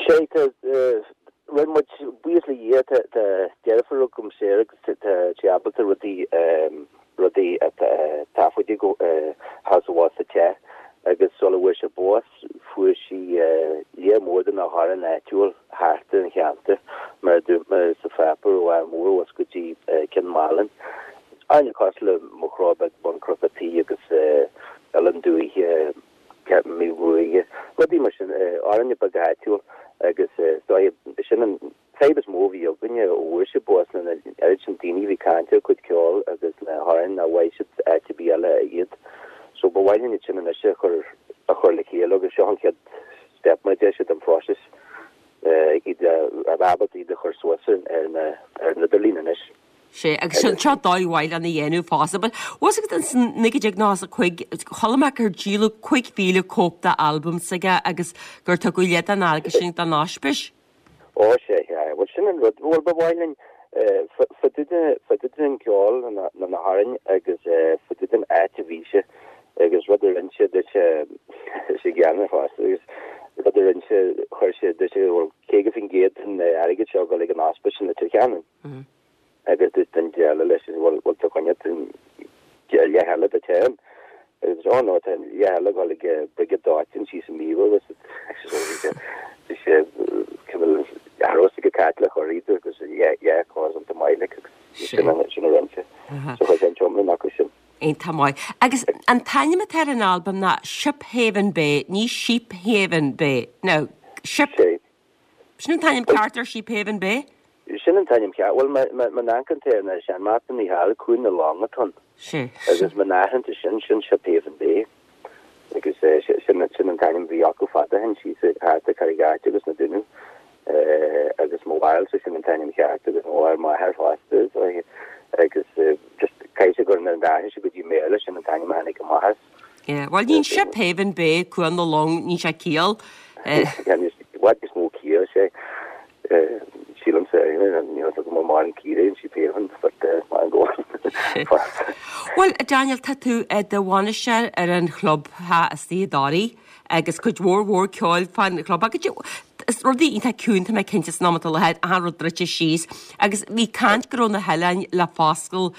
Sea, tá Rinne muid, buíochas le Dhia, tá deirfiúr agam Sarah agus tá sí ábalta rudaí, rudaí a taifeadadh thall is abhus sa teach agus sula bhfuair sé bás fuair sí lear mór de na hamhráin áitiúil thart ar an cheantar mar a dúirt mé sa pháipéar ó Ardh Mór abhus go dtí Cionn Mhálanna. Amhráin cosúil le Mo Chró Beag Bun Cnoc an Tí agus Oileán Dúiche. Míol Ruaidhe, rudaí mar sin, amhráin beaga áitiúil agus is dóigh, sin an fadhb is mó a bhí againne ó fuair sé bás ná an oiread sin daoine a bhí ag caint ar a cuid ceoil agus na hamhráin nach bhfaigheadh siad áit ar bith eile iad. So ba mhaith linn iad sin anois a chur a chur le chéile agus seo an chéad step mar a deir siad an phróiseas iad a bheith ábalta iad a chur suas ar an idirlíon anois. Sea, agus sin seo dóigh mhaith lena dhéanamh fosta. But bhfuil fhios agat in 1995, chuala mé gur díoladh 5,000 cóip de albam s'aige agus gur tugadh leath den airgead sin don ospís. Ó, sea, sea. Bhuel, sin an rud. Bhuel, ba mhaith linn, fá dtaobh den cheol nó na hamhráin agus fá dtaobh den áit a bhí sé agus rud a rinne sé duit, sé gean ar fosta agus rud a rinne sé, chuir sé duit, bhuel, 50% den airgead seo ag dul ag an ospís in Leitir Ceanainn. Agus dúirt duine eile leis, bhuel, bhfuil tú ag coinneáil an leath eile duit féin? Agus dúirt sé, oh no, tá an leath eile ag dul ag brigéad dóiteáin síos i Míobha agus bhí sé cineál athrósa go Caitliceach ar iad agus yeah, cause iontach maith like agus sin a rinne sé. So chuir sé an t-iomlán acu sin. Iontach maith. Agus an t-ainm atá ar an albam ná Shiphaven Bay, ní Sheephaven Bay. Now, Ship. Sin an t-ainm ceart ar Sheephaven Bay? Sin an t-ainm ceart. Bhuel, má amharcann tú ar na seanmhapanna thall, Cuan na Long atá ann. Sea. Agus má amharcann tú sin, sin Sheephaven Bay. Agus sin an t-ainm a bhí acu fada ó shin, síos thart ar Charraig Airt agus na Dúnaibh. Agus mo bharúilsa, sin an t-ainm ceart agus mo bharúil m'athair fosta. Agus just caithfidh sé gur nuair a d'athraigh sé go dtí Béarla, sin an t-ainm a tháinig amach as. Yeah, bhuel níl Shiphaven Bay, Cuan na Long, níl sé ciall. I bhfad níos mó ciall sé sílimse níl fhios agam an maireann ciall in Sheephaven but mar go Bhuel, Daniel, tá tú i do bhainisteoir ar an chlub istigh i dToraigh agus cuid mhór mhór ceoil fán chlub agus Is rudaí iontach ciúin, tá mé cinnte, san am atá i láthair, achan rud druidte síos. Agus bhí caint go raibh na hoileáin le foscailt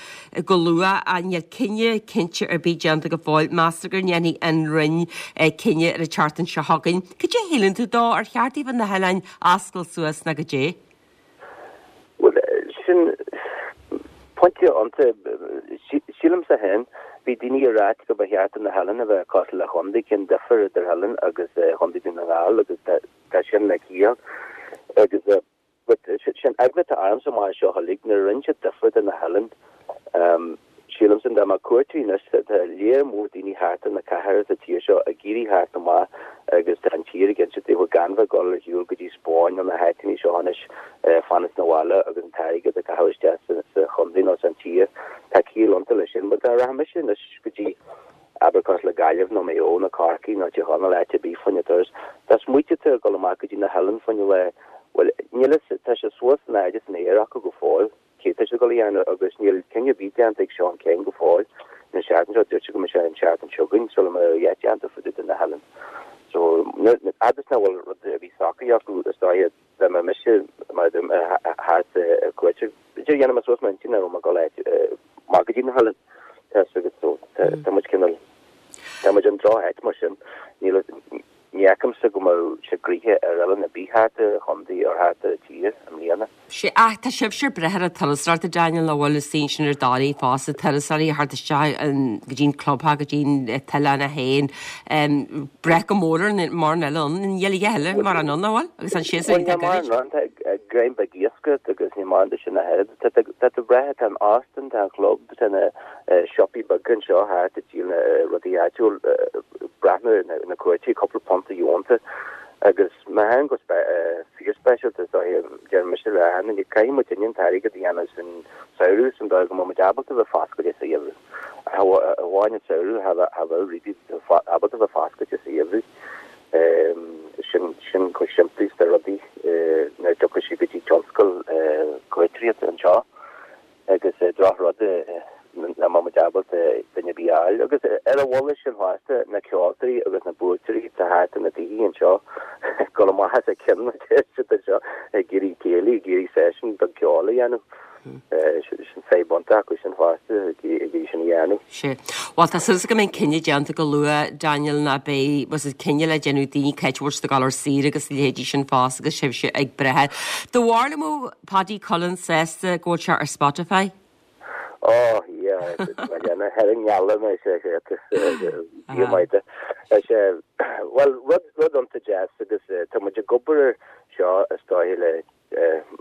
go luath ach níl cinneadh cinnte ar bith déanta go fóill. Meastar go ndéanfaidh an Roinn cinneadh ar an tseachtain seo chugainn. Cad é a shíleann tú dó? Ar cheart daofa na hoileáin a oscailt suas nó cad é? Bhuel, sin pointe iontach. Sílimse féin, bhí daoine ag ráit go ba cheart do na hoileáin a bheith cosúil le chontae, cén difear idir oileán agus Chontae Dhún na nGall agus tá sin le ciall. Agus but sin eagla atá ormsa amach anseo uilig, nuair a rinne siad difear do na hoileáin, Sílimse dá mbeadh cuairteoirí anois, tá léar mór daoine thart ar na cathracha sa tír seo ag iarraidh theacht amach agus tá an tír ag inse daofa gan bheith ag dul ar shiúl go dtí Spáinn nó na háiteanna seo anois, fanacht sna bhaile agus an t-airgead a chaitheamh isteach sa chontae nó san tír. Tá ciall iontu leis sin. But dá rachadh mise anois go dtí, abair cosúil le Gaillimh nó Maigh Eo nó Corcaigh nó Tír Chonaill, áit ar bith fá choinne turas, dá smaoiteodh tú ag dul amach go dtí na hoileáin fá choinne lá, bhuel, níl fhios, tá sé suas in airde san aer acu go fóill. Cé tá siad ag dul a dhéanamh agus níl cinneadh ar bith déanta ag Seán Kyne go fóill. An seachtain seo, dúirt sé go mbeadh sé an seachtain seo chugainn sula mbeadh a dhath déanta fá dtaobh de na hoileáin. So, fhad is nach bhfuil rud ar bith socraithe acu, is dóiche, dá mbeadh mise mar a dúirt mé thart ar cuairt, b'fhéidir dhéanfaidh mé suas m'intinn nach raibh mé ag dul amach go dtí na hoileáin. Tá fhios agat, so tá muid cineál, tá muid in droch-áit mar sin. Níl, Ní fheicimse go mbeadh sé gnoitheach ar oileán ar bith thart ar an chontae or thart ar an tír i mbliana. Sea, ach tá sibhse ag brath ar an turasóireacht, a Daniel, nach bhfuil istigh ansin ar Dhoraí fosta, turasóirí a theacht isteach go dtí an clubtheach, go dtí an t-oileán é féin, brath go mór ar mórán eile ann, níl a dhath eile mórán ann, nach bhfuil? Agus an séasúr iontach gairid. Bhuel, níl mórán ann, tá greim beag iascaireachta agus níl mórán de sin ach oiread. Tá tú ag brath, tá an óstán, tá an club, tá na siopaí beaga anseo thart ag díol na rudaí áitiúil, breathnú ar na cuairteoirí, cúpla punt a dheonta agus má théann go fíorspeisialta is dóiche, deir mise le achan duine, caithfidh muidinne an t-airgead a dhéanamh san samhradh san dóigh go mbeidh muid ábalta bheith foscailte sa gheimhreadh. Ach amháin an samhradh, cha bheadh really ábalta bheith foscailte sa gheimhreadh. Sin sin chomh simplí is tá rudaí nuair a tiocfaidh sé go dtí tionscal cuairteoireachta anseo. Agus drochrud nach mbeadh muid ábalta duine ar bith a fháil. Agus ar a mhullach sin fosta, na ceoltóirí agus na buaiteoirí atá thart ar na tithe anseo ag dul amach as a gceann, a deir siad anseo, ag iarraidh céilí, ag iarraidh session beag ceoil a dhéanamh. Sin fadhb iontach acu sin fosta, ag iarraidh sin a dhéanamh. Sea. Bhuel, tá súil go mbeidh an cinneadh déanta go luath, Daniel, ná beidh, bhuel, is cinneadh le déanamh daoine cá háit a bhfuil siad ag dul ar saoire agus a leithéidí sin fosta agus sibhse ag brath air. Do bharúil an mbeadh Paddy Cullen sásta go bhfuil sé ar Spotify? Oh yeah, ar an ngealach mé sé sé Dia maith de. Sé bhuel rud rud iontach deas agus tá muid ag obair air seo is dóiche le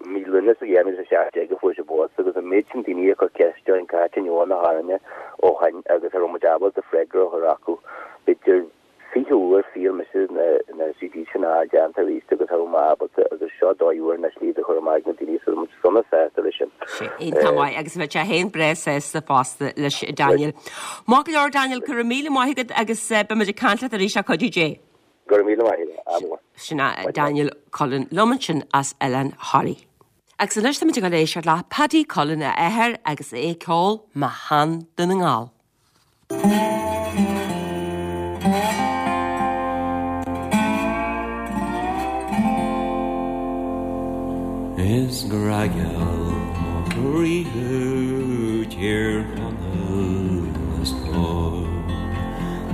mí Lúnasa 2017 a fuair sé bás agus an méid sin daoine ag cur ceist orainn cá háit a ndeachaigh na hamhráin ó shin agus cha raibh muid ábalta freagra a chur acu. B'fhéidir. 20 uair shíl mise na CDs sin a fháil déanta arís agus cha raibh mé ábalta agus seo dóigh úr anois le iad a chur amach ag na daoine so tá muid sona sásta leis sin. Sea, iontach maith agus bheadh sé féin breá sásta fosta leis Daniel. Maith go leor Daniel, go raibh míle maith agat agus beidh muid ag caint leat arís le cuidiú Dé. Go raibh míle maith agat, ádh mór. Sin é Daniel Cullen liom ansin as Oileán Thoraí. Agus anois táimid ag dul ag éisteacht le Paddy Cullen a athair agus é ag ceol Mo Shean-Dún na nGall. Is grá-gheal mo chroí thú Tír Chonaill a stór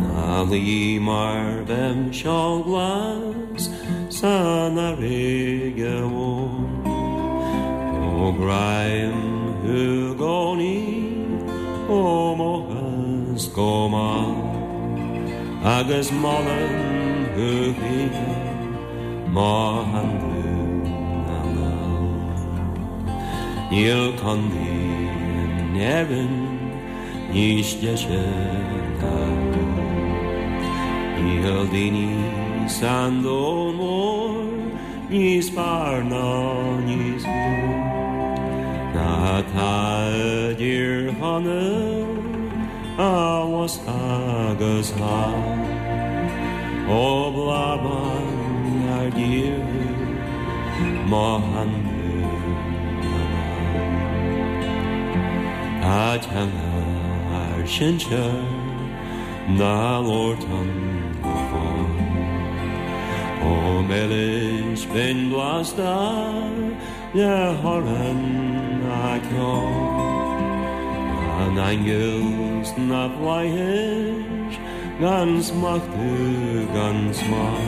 Ná luí mar bheadh seol glas san fharraige mhór. Ó gráim thú i gcónaí ó moch is go mall agus molaim thú choíche mo shean-Dhún na nGall. Níl contae in Éirinn níos deise ná thú. Níl daoine san domhan mór níos fearr ná níos fiú ná atá i dTír Chonaill abhus agus thall. Ó bláth bán ár dtír thú, mo shean-Dhún na nGall. Tá teanga ár sinsear dá labhairt ann go fóill. Chomh milis binn blasta le hamhrán ná ceol. Na n-aingeal sna flaithis gan smachtú gan smál.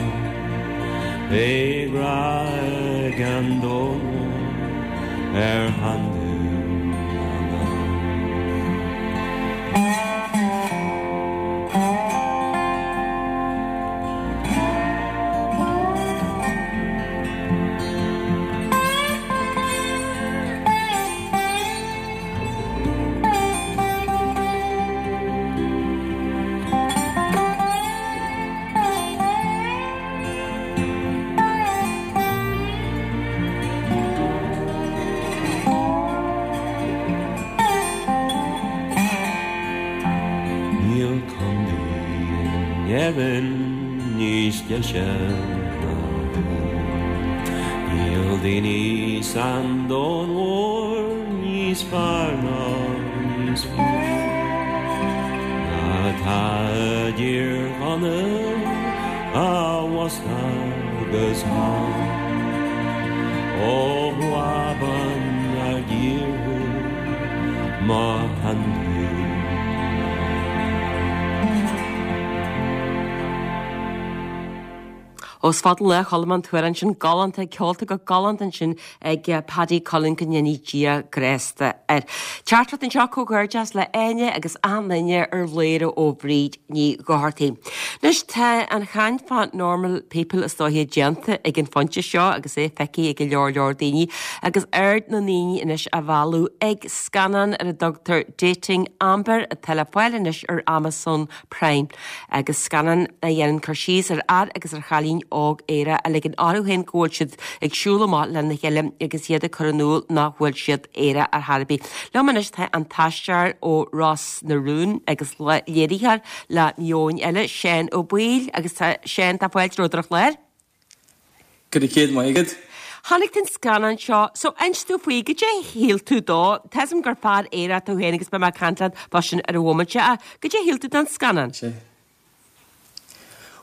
Beidh grá ag an domhan mór ar shean-Dhún na nGall. Níl contae in Éirinn níos deise ná thú. Níl daoine san domhan mhór níos fearr ná níos fiú ná atá i dTír Chonaill abhus agus thall. Ó bhláth bán ár dtír thú, mo shean-Dhún na nGall. Ó is fada an lá a chuala mé an t-amhrán sin galánta, ceolta go galánta ansin ag Paddy Cullen go ndéanaí Dia grásta air. Teachtaireacht anseo comhghairdeas le Áine agus achan duine ar Bhladhaire ó Bhríd Ní Dhochartaigh. Anois tá an chaint fá Normal People is dóiche déanta ag an phointe seo agus é feicthe ag go leor leor daoine agus aird na ndaoine anois á mhealladh ag scannán ar a dtugtar Dating Amber atá le fáil anois ar Amazon Prime agus scannán a dhéanann cur síos ar fhear agus ar chailín óg aerach a ligeann orthu féin go bhfuil siad ag siúl amach lena chéile agus iad ag cur in iúl nach bhfuil siad aerach ar chor ar bith. Liom anois tá an t-aisteoir ó Ros na Rún agus léiritheoir le Meon Eile, Seán Ó Baoill agus tá Seán, tá fáilte romhat ar an chlár. Go raibh céad maith agat. Chonaic tú an scannán seo, so inis domh faoi, goidé a shíl tú dó? Tá 'fhios a'm gur fear aerach tú féin agus beidh mé ag caint leat fá sin ar an bhomaite ach goidé a shíl tú den scannán? Sea.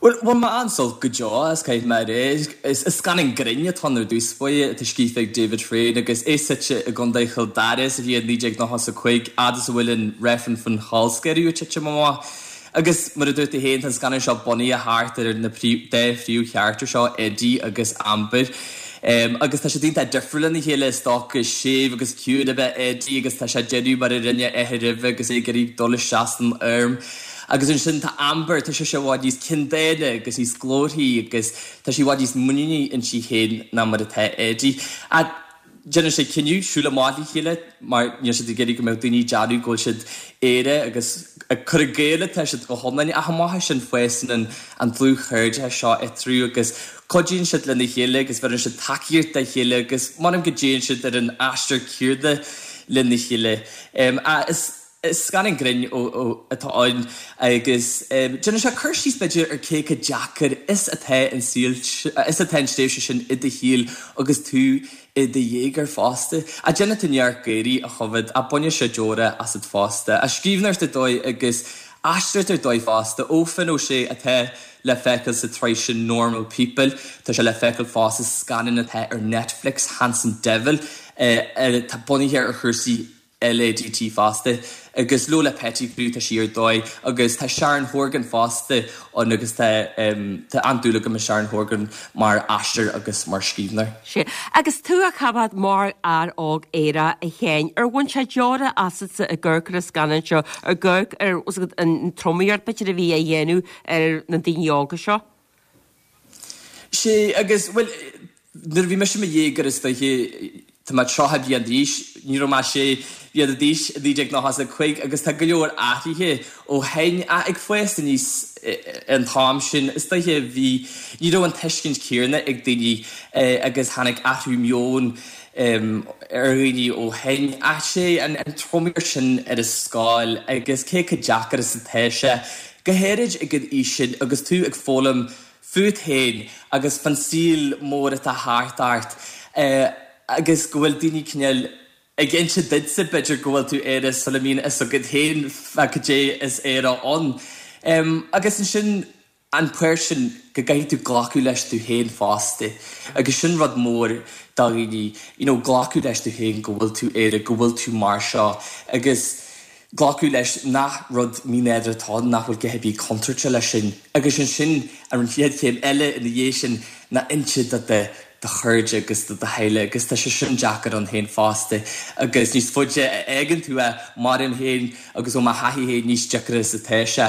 Bhuel, bhain mé an-sult go deo as, caithfidh mé a rá. Is scannán grinn atá ann ar dtús báire, atá scríofa ag David Freyne agus é suite i gContae Chill Dara sa bhliain 1995, fhad is a bhfuil an reifreann faoin cholscaradh ag titim amach. Agus mar a dúirt tú féin, tá an scannán seo bunaithe thart ar na dá phríomhcharachtar seo, Eddie agus Amber. Agus tá siad iontach difriúil lena chéile, is dócha. Séimh agus ciúin ab ea Eddie agus tá sé ag déanamh mar a rinne a athair roimhe agus é ag iarraidh dul isteach san arm. Agus ansin tá Amber, tá sise i bhfad níos ceanndána agus níos glórthaí agus tá sí i bhfad níos muiníní inti féin ná mar atá Eddie. Ach. déanann siad cinneadh siúl amach le chéile mar níl siad ag iarraidh go mbeadh daoine ag déanamh go bhfuil siad aerach agus ag cur i gcéill atá siad go hiomlán. Ach amach as sin fásann an an dlúthchairdeas seo eatarthu agus cuidíonn siad lena chéile agus bheireann siad tacaíocht dá chéile agus m'anam go dtéann siad ar an aistear céanna lena chéile. Is scannán grinn atá ann agus déanann sé cur síos b'fhéidir ar cé chomh deacair is atá an saol, is atá an tréimhse sin i do shaol agus tú i do dhéagóir fosta. Ach déanann tú neart gáirí a choimhéad, ach baineann sé deora asat fosta. Scríbhneoireacht ar dóigh agus aisteoireacht ar dóigh fosta ó Finn Ó Sé atá le feiceáil sa tsraith sin Normal People. Tá sé le feiceáil fosta sa scannán atá ar Netflix, Handsome Devil, atá bunaithe ar chúrsaí LADT fosta agus Lola Petticrew tá sí ar dóigh agus tá Sharon Horgan fosta ann agus tá tá an-dúil agam i Sharon Horgan mar aisteoir agus mar scríbhneoir. Sea. Agus tú á choimhéad mar fhear óg aerach a Sheáin, ar bhain sé deora asatsa ag amharc ar an scannán seo, ag amharc ar an tromaíocht b'fhéidir a bhí á dhéanamh ar na daoine óga seo? Sea, agus, bhuel, nuair a bhí mise i mo dhéagóir is dóiche, tá mé 30 bliain d'aois, ní raibh mé sé bliana d'aois i 1995 agus tá go leor athraithe ó shin ach ag fás aníos an t-am sin, is dóiche, bhí, ní raibh an tuiscint céanna ag daoine agus tháinig athrú meoin ar dhaoine ó shin. Ach sé an tromaíocht sin ar an scoil agus cé chomh deacair is atá sé, Go háirid ag an aois sin agus tú ag foghlaim fút féin agus fán saol mór atá thart ort agus go bhfuil daoine cineál ag inse duitse b'fhéidir go bhfuil tú aerach sula mbíonn fhios agat féin fá cad é is aerach ann. Agus ansin an páirt sin go gcaithfidh tú glacadh leis tú féin fosta agus sin rud mór do dhaoine, you know glacadh leis tú féin go bhfuil tú aerach, go bhfuil tú mar seo agus glacadh leis nach rud mínádúrtha atá ann, nach bhfuil a dhath ar bith contúirteach leis sin. Agus ansin, an chéad chéim eile ina dhiaidh sin ná inse do do do chairde agus do do theaghlach agus tá sé sin deacair ann féin fosta. Agus níos faide a fhágann tú é, maram féin agus ó mo thaithí féin, níos deacra is atá sé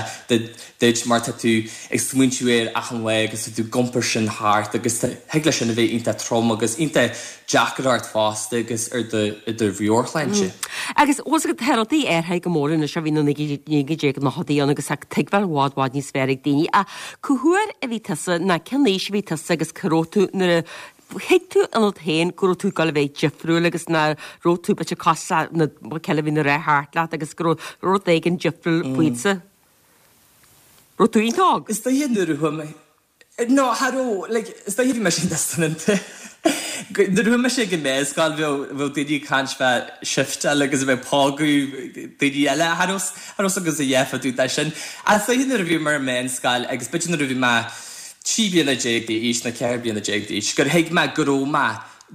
duit mar tá tú ag smaointiú air achan lá agus tá tú ag iompar sin thart agus thig leis sin a bheith iontach trom agus iontach deacair ort fosta agus ar do do mheabhairshláinte. Agus bhfuil fhios agat tá rudaí athraithe go mór anois ó bhí na 1990idí ann agus tá tuigbheáil i bhfad bhfad níos fearr ag daoine. Ach cá huair a bhí tusa, ná cén aois a bhí tusa agus cá raibh tú nuair a thuig tú ionat féin go raibh tú ag dul a bheith difriúil agus nach raibh tú b'fhéidir cosúil le na céile a bhí ina rith thart leat agus go raibh rud éigin difriúil faoitsa? Raibh tú iontach óg? Is dóiche nuair a chuaigh mé No, cha raibh, like, is dóiche bhí mise iontach soineanta. Nuair a chuaigh mise ag an meánscoil bheadh, bheadh daoine ag caint fá shifteáil agus a bheith ag pógadh daoine eile, cha raibh, cha raibh 's agam a dhath fá dtaobh de sin. Ach is dóiche nuair a bhí mé ar an meánscoil agus b'fhéidir nuair a bhí mé 13 bliana d'aois nó 14 bliana d'aois gur thuig mé go raibh mé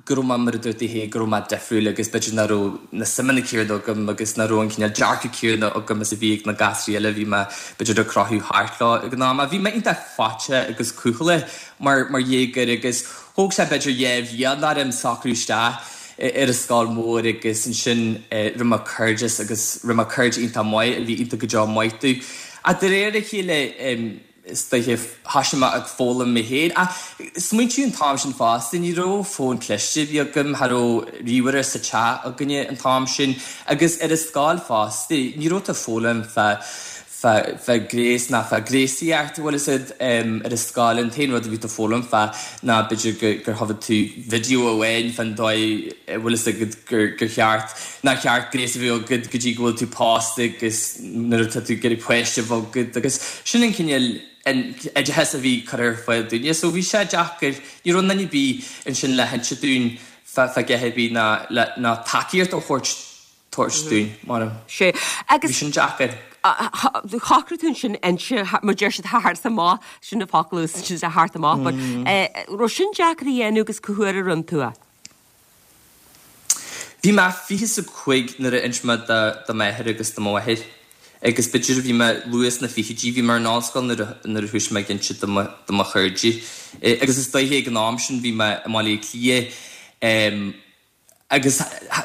go raibh mé, mar a dúirt tú féin, go raibh mé difriúil agus b'fhéidir nach raibh na suimeanna céanna agam agus nach raibh an cineál dearcadh céanna agam is a bhí ag na gasraí eile a bhí mé, b'fhéidir, ag croitheadh thart leo ag an am. Bhí mé iontach faitíoch agus cúthaileach mar, mar dhéagóir agus thóg sé b'fhéidir dhá bhliain orm socrú isteach ar an scoil mhór agus ansin rinne mé cairdeas agus rinne mé cairde iontach maith a bhí iontach go deo maith domh. Ach de réir a chéile, Is dóiche, thoisigh mé ag foghlaim mé féin. Ach smaointiú an t-am sin fosta, ní raibh fón cliste ar bith agam, cha raibh ríomhaire sa teach againne an t-am sin. Agus ar an scoil fosta, ní raibh tú ag foghlaim fá, fá, fá ghnéas ná fá ghnéasaíocht, bhfuil fhios a'd, ar an scoil. An t-aon rud a bhí tú ag foghlaim fá ná b'fhéidir go, gur chonaic tú video amháin fán dóigh, bhfuil fhios agat, gur, gur cheart, nár cheart gnéas a bheith agat go dtí go bhfuil tú pósta agus nuair atá tú ag iarraidh páiste a bheith agat agus sin an cineál an oideachas a bhí curtha ar fáil dúinne. So bhí sé deacair, ní raibh duine ar bith ansin le hinse dúinn fá a dhath ar bith ná le ná tacaíocht a thabhairt tabhairt dúinn, mar Sé agus bhí sin deacair. Shocraigh tú ansin inse, mar deir siad theacht amach, sin an focal a úsáideann siad theacht amach, but raibh sin deacair a dhéanamh agus cá huair a rinne tú é? Bhí mé 25 nuair a inis mé do m'athair agus do mo mháthair agus b'fhéidir bhí mé luath sna fichidí, bhí mé ar an ollscoil nuair a nuair a thoisigh mé ag inse do mo do mo chairde agus is dóiche ag an am sin bhí mé i mBaile Átha Cliath agus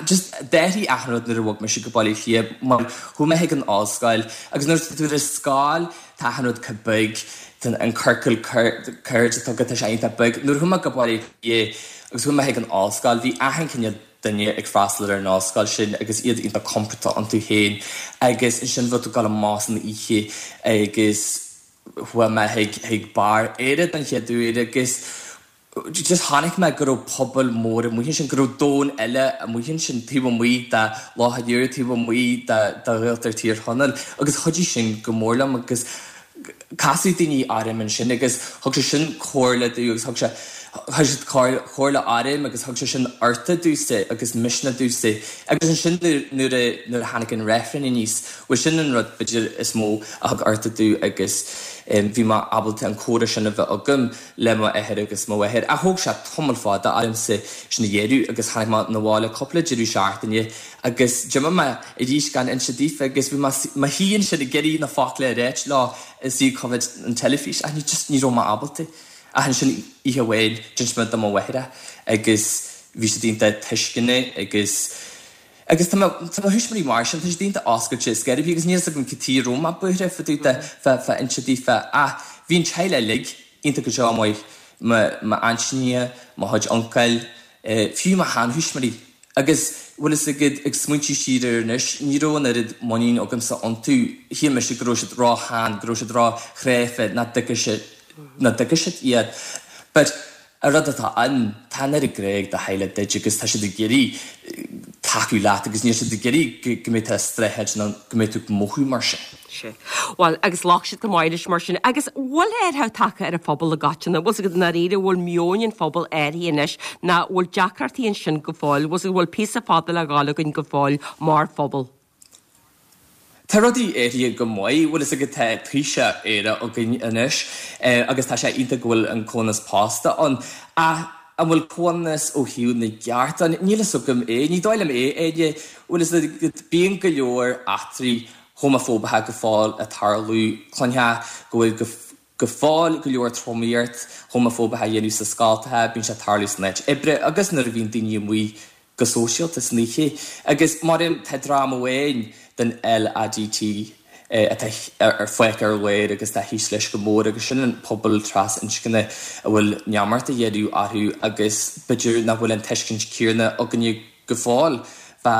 just d'athraigh achan rud nuair a bhog mise go Baile Átha Cliath mar chuaigh mé chuig an ollscoil agus nuair atá tú ar an scoil tá achan rud chomh beag, tá an ciorcal cairde atá agat tá sé iontach beag. Nuair a chuaigh mé go Baile Átha Cliath agus chuaigh mé chuig an ollscoil bhí achan cineál. duine ag freastal ar an ollscoil sin agus iad iontach compordach iontu féin agus ansin bheadh tú ag dul amach san oíche agus chuaigh mé chuig chuig beár Éire don chéad uair agus just chonaic mé go raibh pobal mór amuigh ansin, go raibh domhan eile amuigh ansin taobh amuigh de Loch an Iúir, taobh amuigh de Ghaeltacht Thír Chonaill agus chuidigh sin go mór liom agus casadh daoine orm ansin agus thug sé sin comhairle domh agus thug sé thug siad comhairle orm agus thug sé sin uchtach domhsa agus misneach domhsa agus ansin nuair a nuair a tháinig an reifreann aníos bhuel sin an rud b'fhéidir is mó a thug uchtach domh agus bhí mé ábalta an comhrá sin a bheith agam le mo athair agus mo mháthair ach thóg sé tamall fada ormsa sin a dhéanamh agus tháinig mé 'na bhaile cúpla deireadh seachtaine Agus d'imigh mé arís gan inse daofa agus bhí mé mo shuí ansin ag iarraidh na focla a ráit leo istigh ag coimhéad an teilifís ach ní just ní raibh mé ábalta. Ach ansin oíche amháin d'inis mé do mo mháthair é agus bhí siad iontach tuisceanach agus agus tá mo tá mo thuismitheoirí mar sin, tá siad iontach oscailte is scairbí agus níl fhios agam cad chuige a raibh mé buartha fá dtaobh de fá fá inse daofa ach bhí an teaghlach uilig iontach go deo maith, mo m'aintíní, mo chuid uncail, fiú mo sheanthuismitheoirí. Agus, bhfuil fhios agat, ag smaointiú siar air anois, ní raibh an oiread muinín agamsa iontu. Shíl mise go raibh siad ró-shean, go raibh siad ró-chráifte, nach dtuigfeadh siad, nach dtuigfeadh siad iad. But, an rud atá ann, tá an oiread grá ag do theaghlach duit agus tá siad ag iarraidh tacú leat agus níl siad ag iarraidh go, go mbeidh tú ag streachailt nó go mbeidh tú ag mothú mar sin. Sea. Bhuel, agus ghlac siad go maith leis mar sin. Agus bhfuil athrú tagtha ar an phobal i gcoitinne? Bhfuil 's agat i ndáiríre, bhfuil meon an phobail athraithe anois nó bhfuil deacrachtaí ansin go fóill? Bhfuil 's agat, bhfuil píosa fada le dhul againn go fóill mar phobal? Tá rudaí athraithe go maith. Bhfuil 'fhios agat, tá Taoiseach aerach againn anois agus tá sé iontach go bhfuil an comhionannas pósta ann. Ach an bhfuil comhionannas ó thaobh na gceart ann? Níl 'fhios agam é. Ní dóigh liom é, Áine. Bhfuil 'fhios agat, bíonn go leor eachtraí homafóbacha go fóill ag tarlú. Cluinfeá go bhfuil go fóill go leor tromaíocht homafóbach á dhéanamh sna scoltacha, bíonn sé ag tarlú san áit oibre agus nuair a bhíonn daoine amuigh go sóisialta san oíche. Agus mar tá dream amháin den LADT atá fágtha ar lár agus atá thíos leis go mór agus sin an pobal trasinscne a bhfuil neamart á dhéanamh orthu agus b'fhéidir nach bhfuil an tuiscint chéanna againne go fóill fá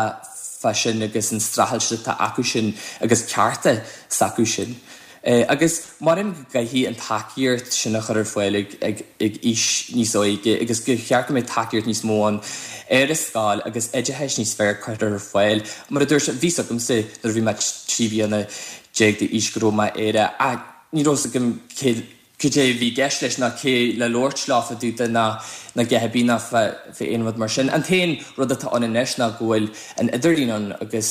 fá sin agus an streachailt atá acu sin agus cearta s'acu sin. Agus mothaím go gcaithfidh an tacaíocht sin a chur ar fáil ag ag ag aois níos óige agus gur cheart go mbeadh tacaíocht níos mó ann ar an scoil agus oideachais níos fearr curtha ar fáil. Mar a dúirt, bhí 's agamsa nuair a bhí mé 13 bliana d'aois go raibh mé aerach ach ní raibh 's agam cé cad é a bhí i gceist leis ná cé le labhairt leo fá dtaobh de ná ná a dhath ar bith ná fá aon rud mar sin. An t-aon rud atá ann anois ná go bhfuil an idirlíon ann agus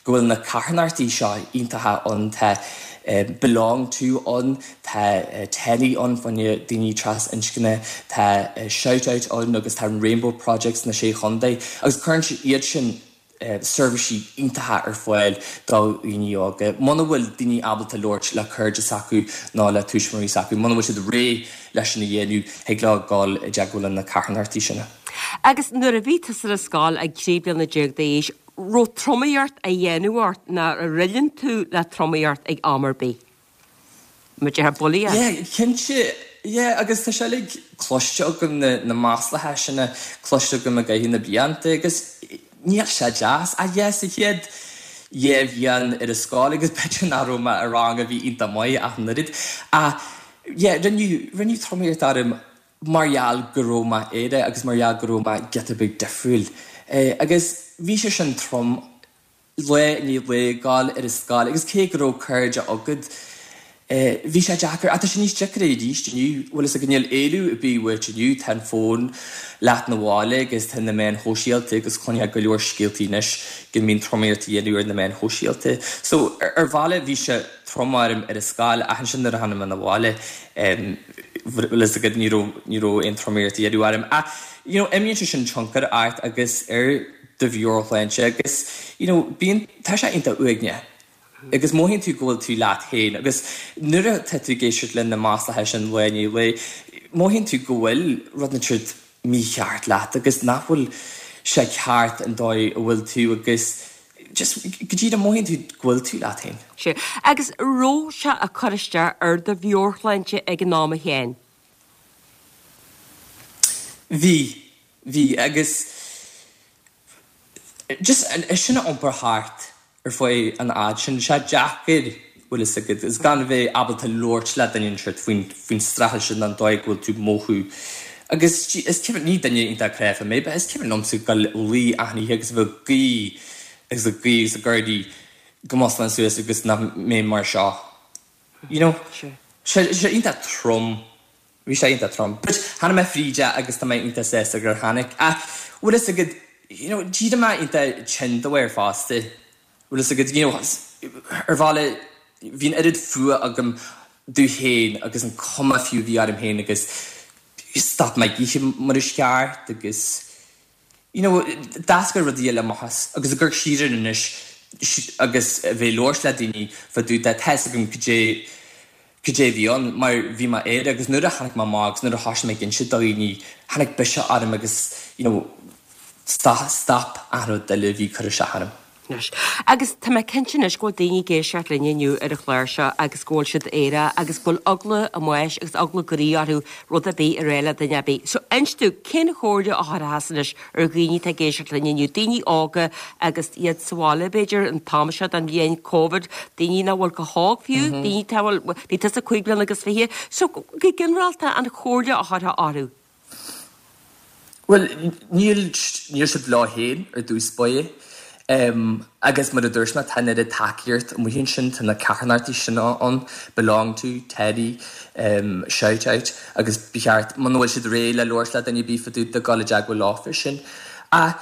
go bhfuil na carthanachtaí seo iontacha ann, tá BeLonG To ann, tá TENI ann fá choinne daoine trasinscne, tá ShoutOut ann agus tá an Rainbow Project sna Sé Chontae agus cuireann iad sin seirbhísí iontacha ar fáil do dhaoine óga. Muna bhfuil daoine ábalta labhairt le cairde s'acu nó le tuismitheoirí s'acu, muna bhfuil siad réidh leis sin a dhéanamh, thig leo dul i dteagmháil le na carthanachtaí sin. Agus nuair a bhí tusa ar scoil ag 13 bliana d'aois, raibh tromaíocht á dhéanamh ort nó ar fhulaing tú le tromaíocht ag am ar bith? Mar a déarfá bulaíocht. Yeah, cinnte, yeah, agus tá sé uilig cloiste agam, na, na maslacha sin cloiste agam i gcaitheamh na blianta agus níl sé deas. Ach yeah, sa chéad dhá bhliain ar an scoil agus b'fhéidir nach raibh mé i rang a bhí iontach maith ach an oiread ach yeah, rinneadh, rinneadh tromaíocht orm mar gheall go raibh mé aerach agus mar gheall go raibh mé giota beag difriúil. Agus bhí sé sin trom lá i ndiaidh lae ag gabháil ar an scoil agus cé go raibh cairde agat bhí sé deacair ach tá sé níos deacra arís inniu, bhfuil fhios agat níl éalú ar bith uait inniu, tá an fón leat 'na bhaile agus tá na meáin shóisialta agus cluinfeá go leor scéaltaí anois go mbíonn tromaíocht á dhéanamh ar na meáin shóisialta. So ar bhealach bhí sé trom orm ar an scoil ach ansin nuair a tháinig mé 'na bhaile bhfuil fhios agat ní raibh ní raibh aon tromaíocht á dhéanamh orm ach you know imríonn sé sin tionchar ort agus ar do mheabhairshláinte agus you know bíonn, tá sé iontach uaigneach agus mothaíonn tú go bhfuil tú leat féin agus nuair atá tú ag éisteacht le na maslacha sin lá i ndiaidh lae, mothaíonn tú go bhfuil rud inteacht mícheart leat agus nach bhfuil sé ceart an dóigh a bhfuil tú agus just go díreach mothaíonn tú go bhfuil tú leat féin. Sea. Agus raibh sé ag cur isteach ar do mheabhairshláinte ag an am a Sheáin? Bhí. Bhí, agus. Just é sin a iompar thart ar feadh an fhad sin, sé deacair, bhfuil fhios agat, is gan a bheith ábalta labhairt le duine inteacht faoin, faoin streachailt sin an dóigh go bhfuil tú ag mothú. Agus is cuimhin, ní duine iontach cráifeach mé, but is cuimhin liomsa dul a luí achan oíche agus a bheith ag guí agus ag guí agus ag guí go mosclóinn suas agus nach mbeinn mar seo. You know? Sé, sé iontach trom. Bhí sé iontach trom. But tháinig mé fríd é agus tá mé iontach sásta gur tháinig. Ach bhfuil fhios agat, you know, d'éirigh mé iontach tinn dá bharr fosta. Bhfuil fhios agat, you know, ar bhealach bhí an oiread fuath agam domh féin agus an cuma fiú a bhí orm féin agus stop mé ag ithe mar is ceart agus, you know, d'eascair rudaí eile amach as agus ag amharc siar air anois agus a bheith ag labhairt le daoine fá dtaobh de, tá fhios agam cad é, cad é a bhí ann mar bhí mé air agus nuair a tháinig mé amach agus nuair a thoisigh mé ag inse do dhaoine, tháinig biseach orm agus, you know, stop, stop achan rud eile a bhí ag cur isteach orm. Anois. Agus tá mé cinnte anois go bhfuil daoine ag éisteacht linn inniu ar an chlár seo agus go bhfuil siad aerach agus go bhfuil eagla a mbáis agus eagla a gcroí orthu rud ar bith a rá le duine ar bith. So inis domh, cén chomhairle a thabharfá anois ar dhaoine atá ag éisteacht linn inniu, daoine óga agus iad sa bhaile b'fhéidir an t-am seo den bhliain, Covid, daoine nach bhfuil chomh hóg fiú, daoine atá, bhuel, bhí tusa 25 bliana. So go ginearálta an chomhairle a thabharfá orthu. Bhuel, níl, níl siad leo féin ar dtús báire. Agus mar a dúirt mé, tá an oiread tacaíocht amuigh ansin, tá na carthanachtaí sin ann, Belong To, Teddie, Shout Out, agus ba cheart, muna bhfuil siad réidh le labhairt le duine ar bith fá dtaobh de, dul i dteagmháil leofa sin. Ach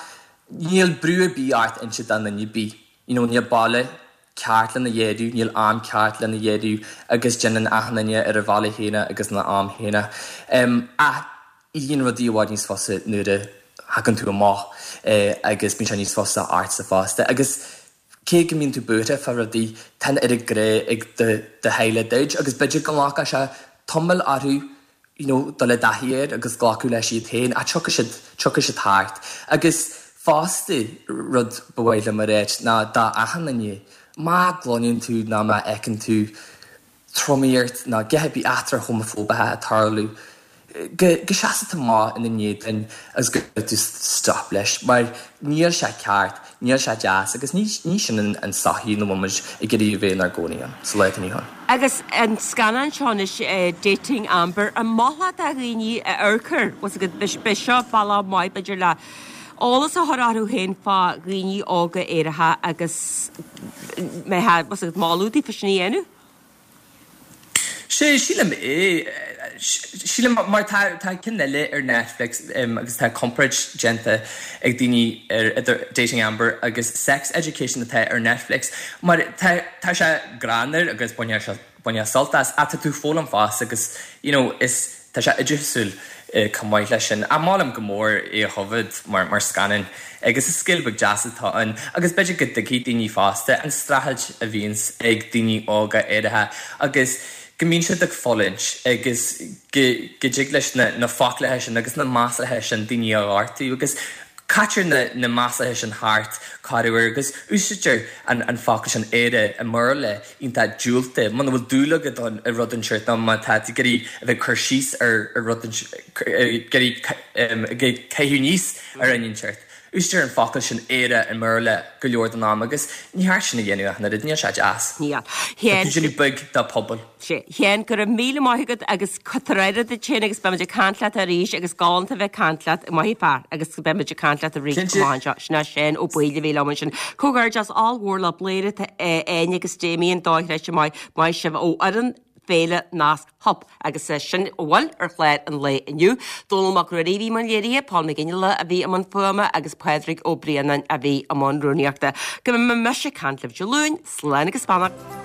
níl brú ar bith ort inse do dhuine ar bith, you know, níl bealach ceart lena dhéanamh, níl am ceart lena dhéanamh agus déanann achan duine ar a bhealach féin agus ina am féin. Ach éiríonn rudaí i bhfad níos fusa nuair a thagann tú amach agus bíonn sé níos fusa ortsa fosta. Agus cé go mbíonn tú buartha fá rudaí, tá an oiread grá ag do theaghlach duit agus b'fhéidir go nglacfadh sé tamall orthu you know, dul i dtaithí air agus glacadh leis iad féin, ach tiocfaidh siad, tiocfaidh siad thart. Agus fosta, rud ba mhaith liom a ráit ná do achan duine, má gcluineann tú nó má fheiceann tú tromaíocht nó a dhath ar bith eachtra homafóbacha ag tarlú, go, go seasfaidh tú amach ina n-éadan agus go gcuirfidh tú stop leis, mar níl sé ceart, níl sé deas agus ní, ní sin an tsochaí ina bhfuil muid ag iarraidh a bheith inár gcónaí ann sa lá atá inniu ann. Agus an scannán seo anois, Dating Amber, an molfá do dhaoine a amharc air, bhfuil 's agat, b'é seo bealach maith b'fhéidir le eolas a chur orthu féin fá dhaoine óga aeracha agus mbeifeá, bhfuil 's agat, moladh daofa sin a dhéanamh? Sea, sílim é. Sílim, mar tá tá ceann eile ar Netflix agus tá comparáid déanta ag daoine ar idir Dating Amber agus Sex Education atá ar Netflix mar tá tá sé greannmhar agus baineann sé baineann sult as ach tá tú ag foghlaim fosta agus you know is tá sé oideachasúil chomh maith leis sin. Ach molaim go mór é a choimhéad mar mar scannán agus is scéal beag deas atá ann agus b'fhéidir go dtuigfidh daoine fosta an streachailt a bhíonns ag daoine óga aeracha agus go mbíonn siad ag fulaingt agus go go dtig leis na na foclacha sin agus na maslacha sin daoine a ghortú agus caitear na na maslacha sin thart corruair agus úsáidtear an an focal sin aerach i mBéarla iontach diúltach. Muna bhfuil dúil agat i rud inteacht nó má tá tú ag iarraidh a bheith ag cur síos ar rud ag iarraidh caitheamh aníos ar dhuine inteacht, úsáidtear an focal sin aerach i mBéarla go leor den am agus ní ceart sin a dhéanamh ach an oiread, níl sé deas. Níl. Tá tú ag déanamh beag dá pobal. Sea. Sheáin, go raibh míle maith agat agus tabhair aire duit féin agus beimid ag caint leat arís agus galánta a bheith ag caint leat, maith an fear, agus beimid ag caint leat arís Cinnte. amach anseo. Sin é Seán Ó Baoill a bhí liom ansin. Comhghairdeas ollmhór le Bladhaire tá Áine agus Damien dochreidte maith, maith sibh ó fhoireann Féile Nasc Hup agus sin a bhfuil ar chlár an lae inniu. Dónall Mac Ruairí a bhí i mbun léirithe, Paul McGinley a bhí i mbun fuaime agus Pádraig Ó Braonáin a bhí i mbun rúnaíochta. Go mbeidh mise ag caint libh Dé Luain, slán agus beannacht.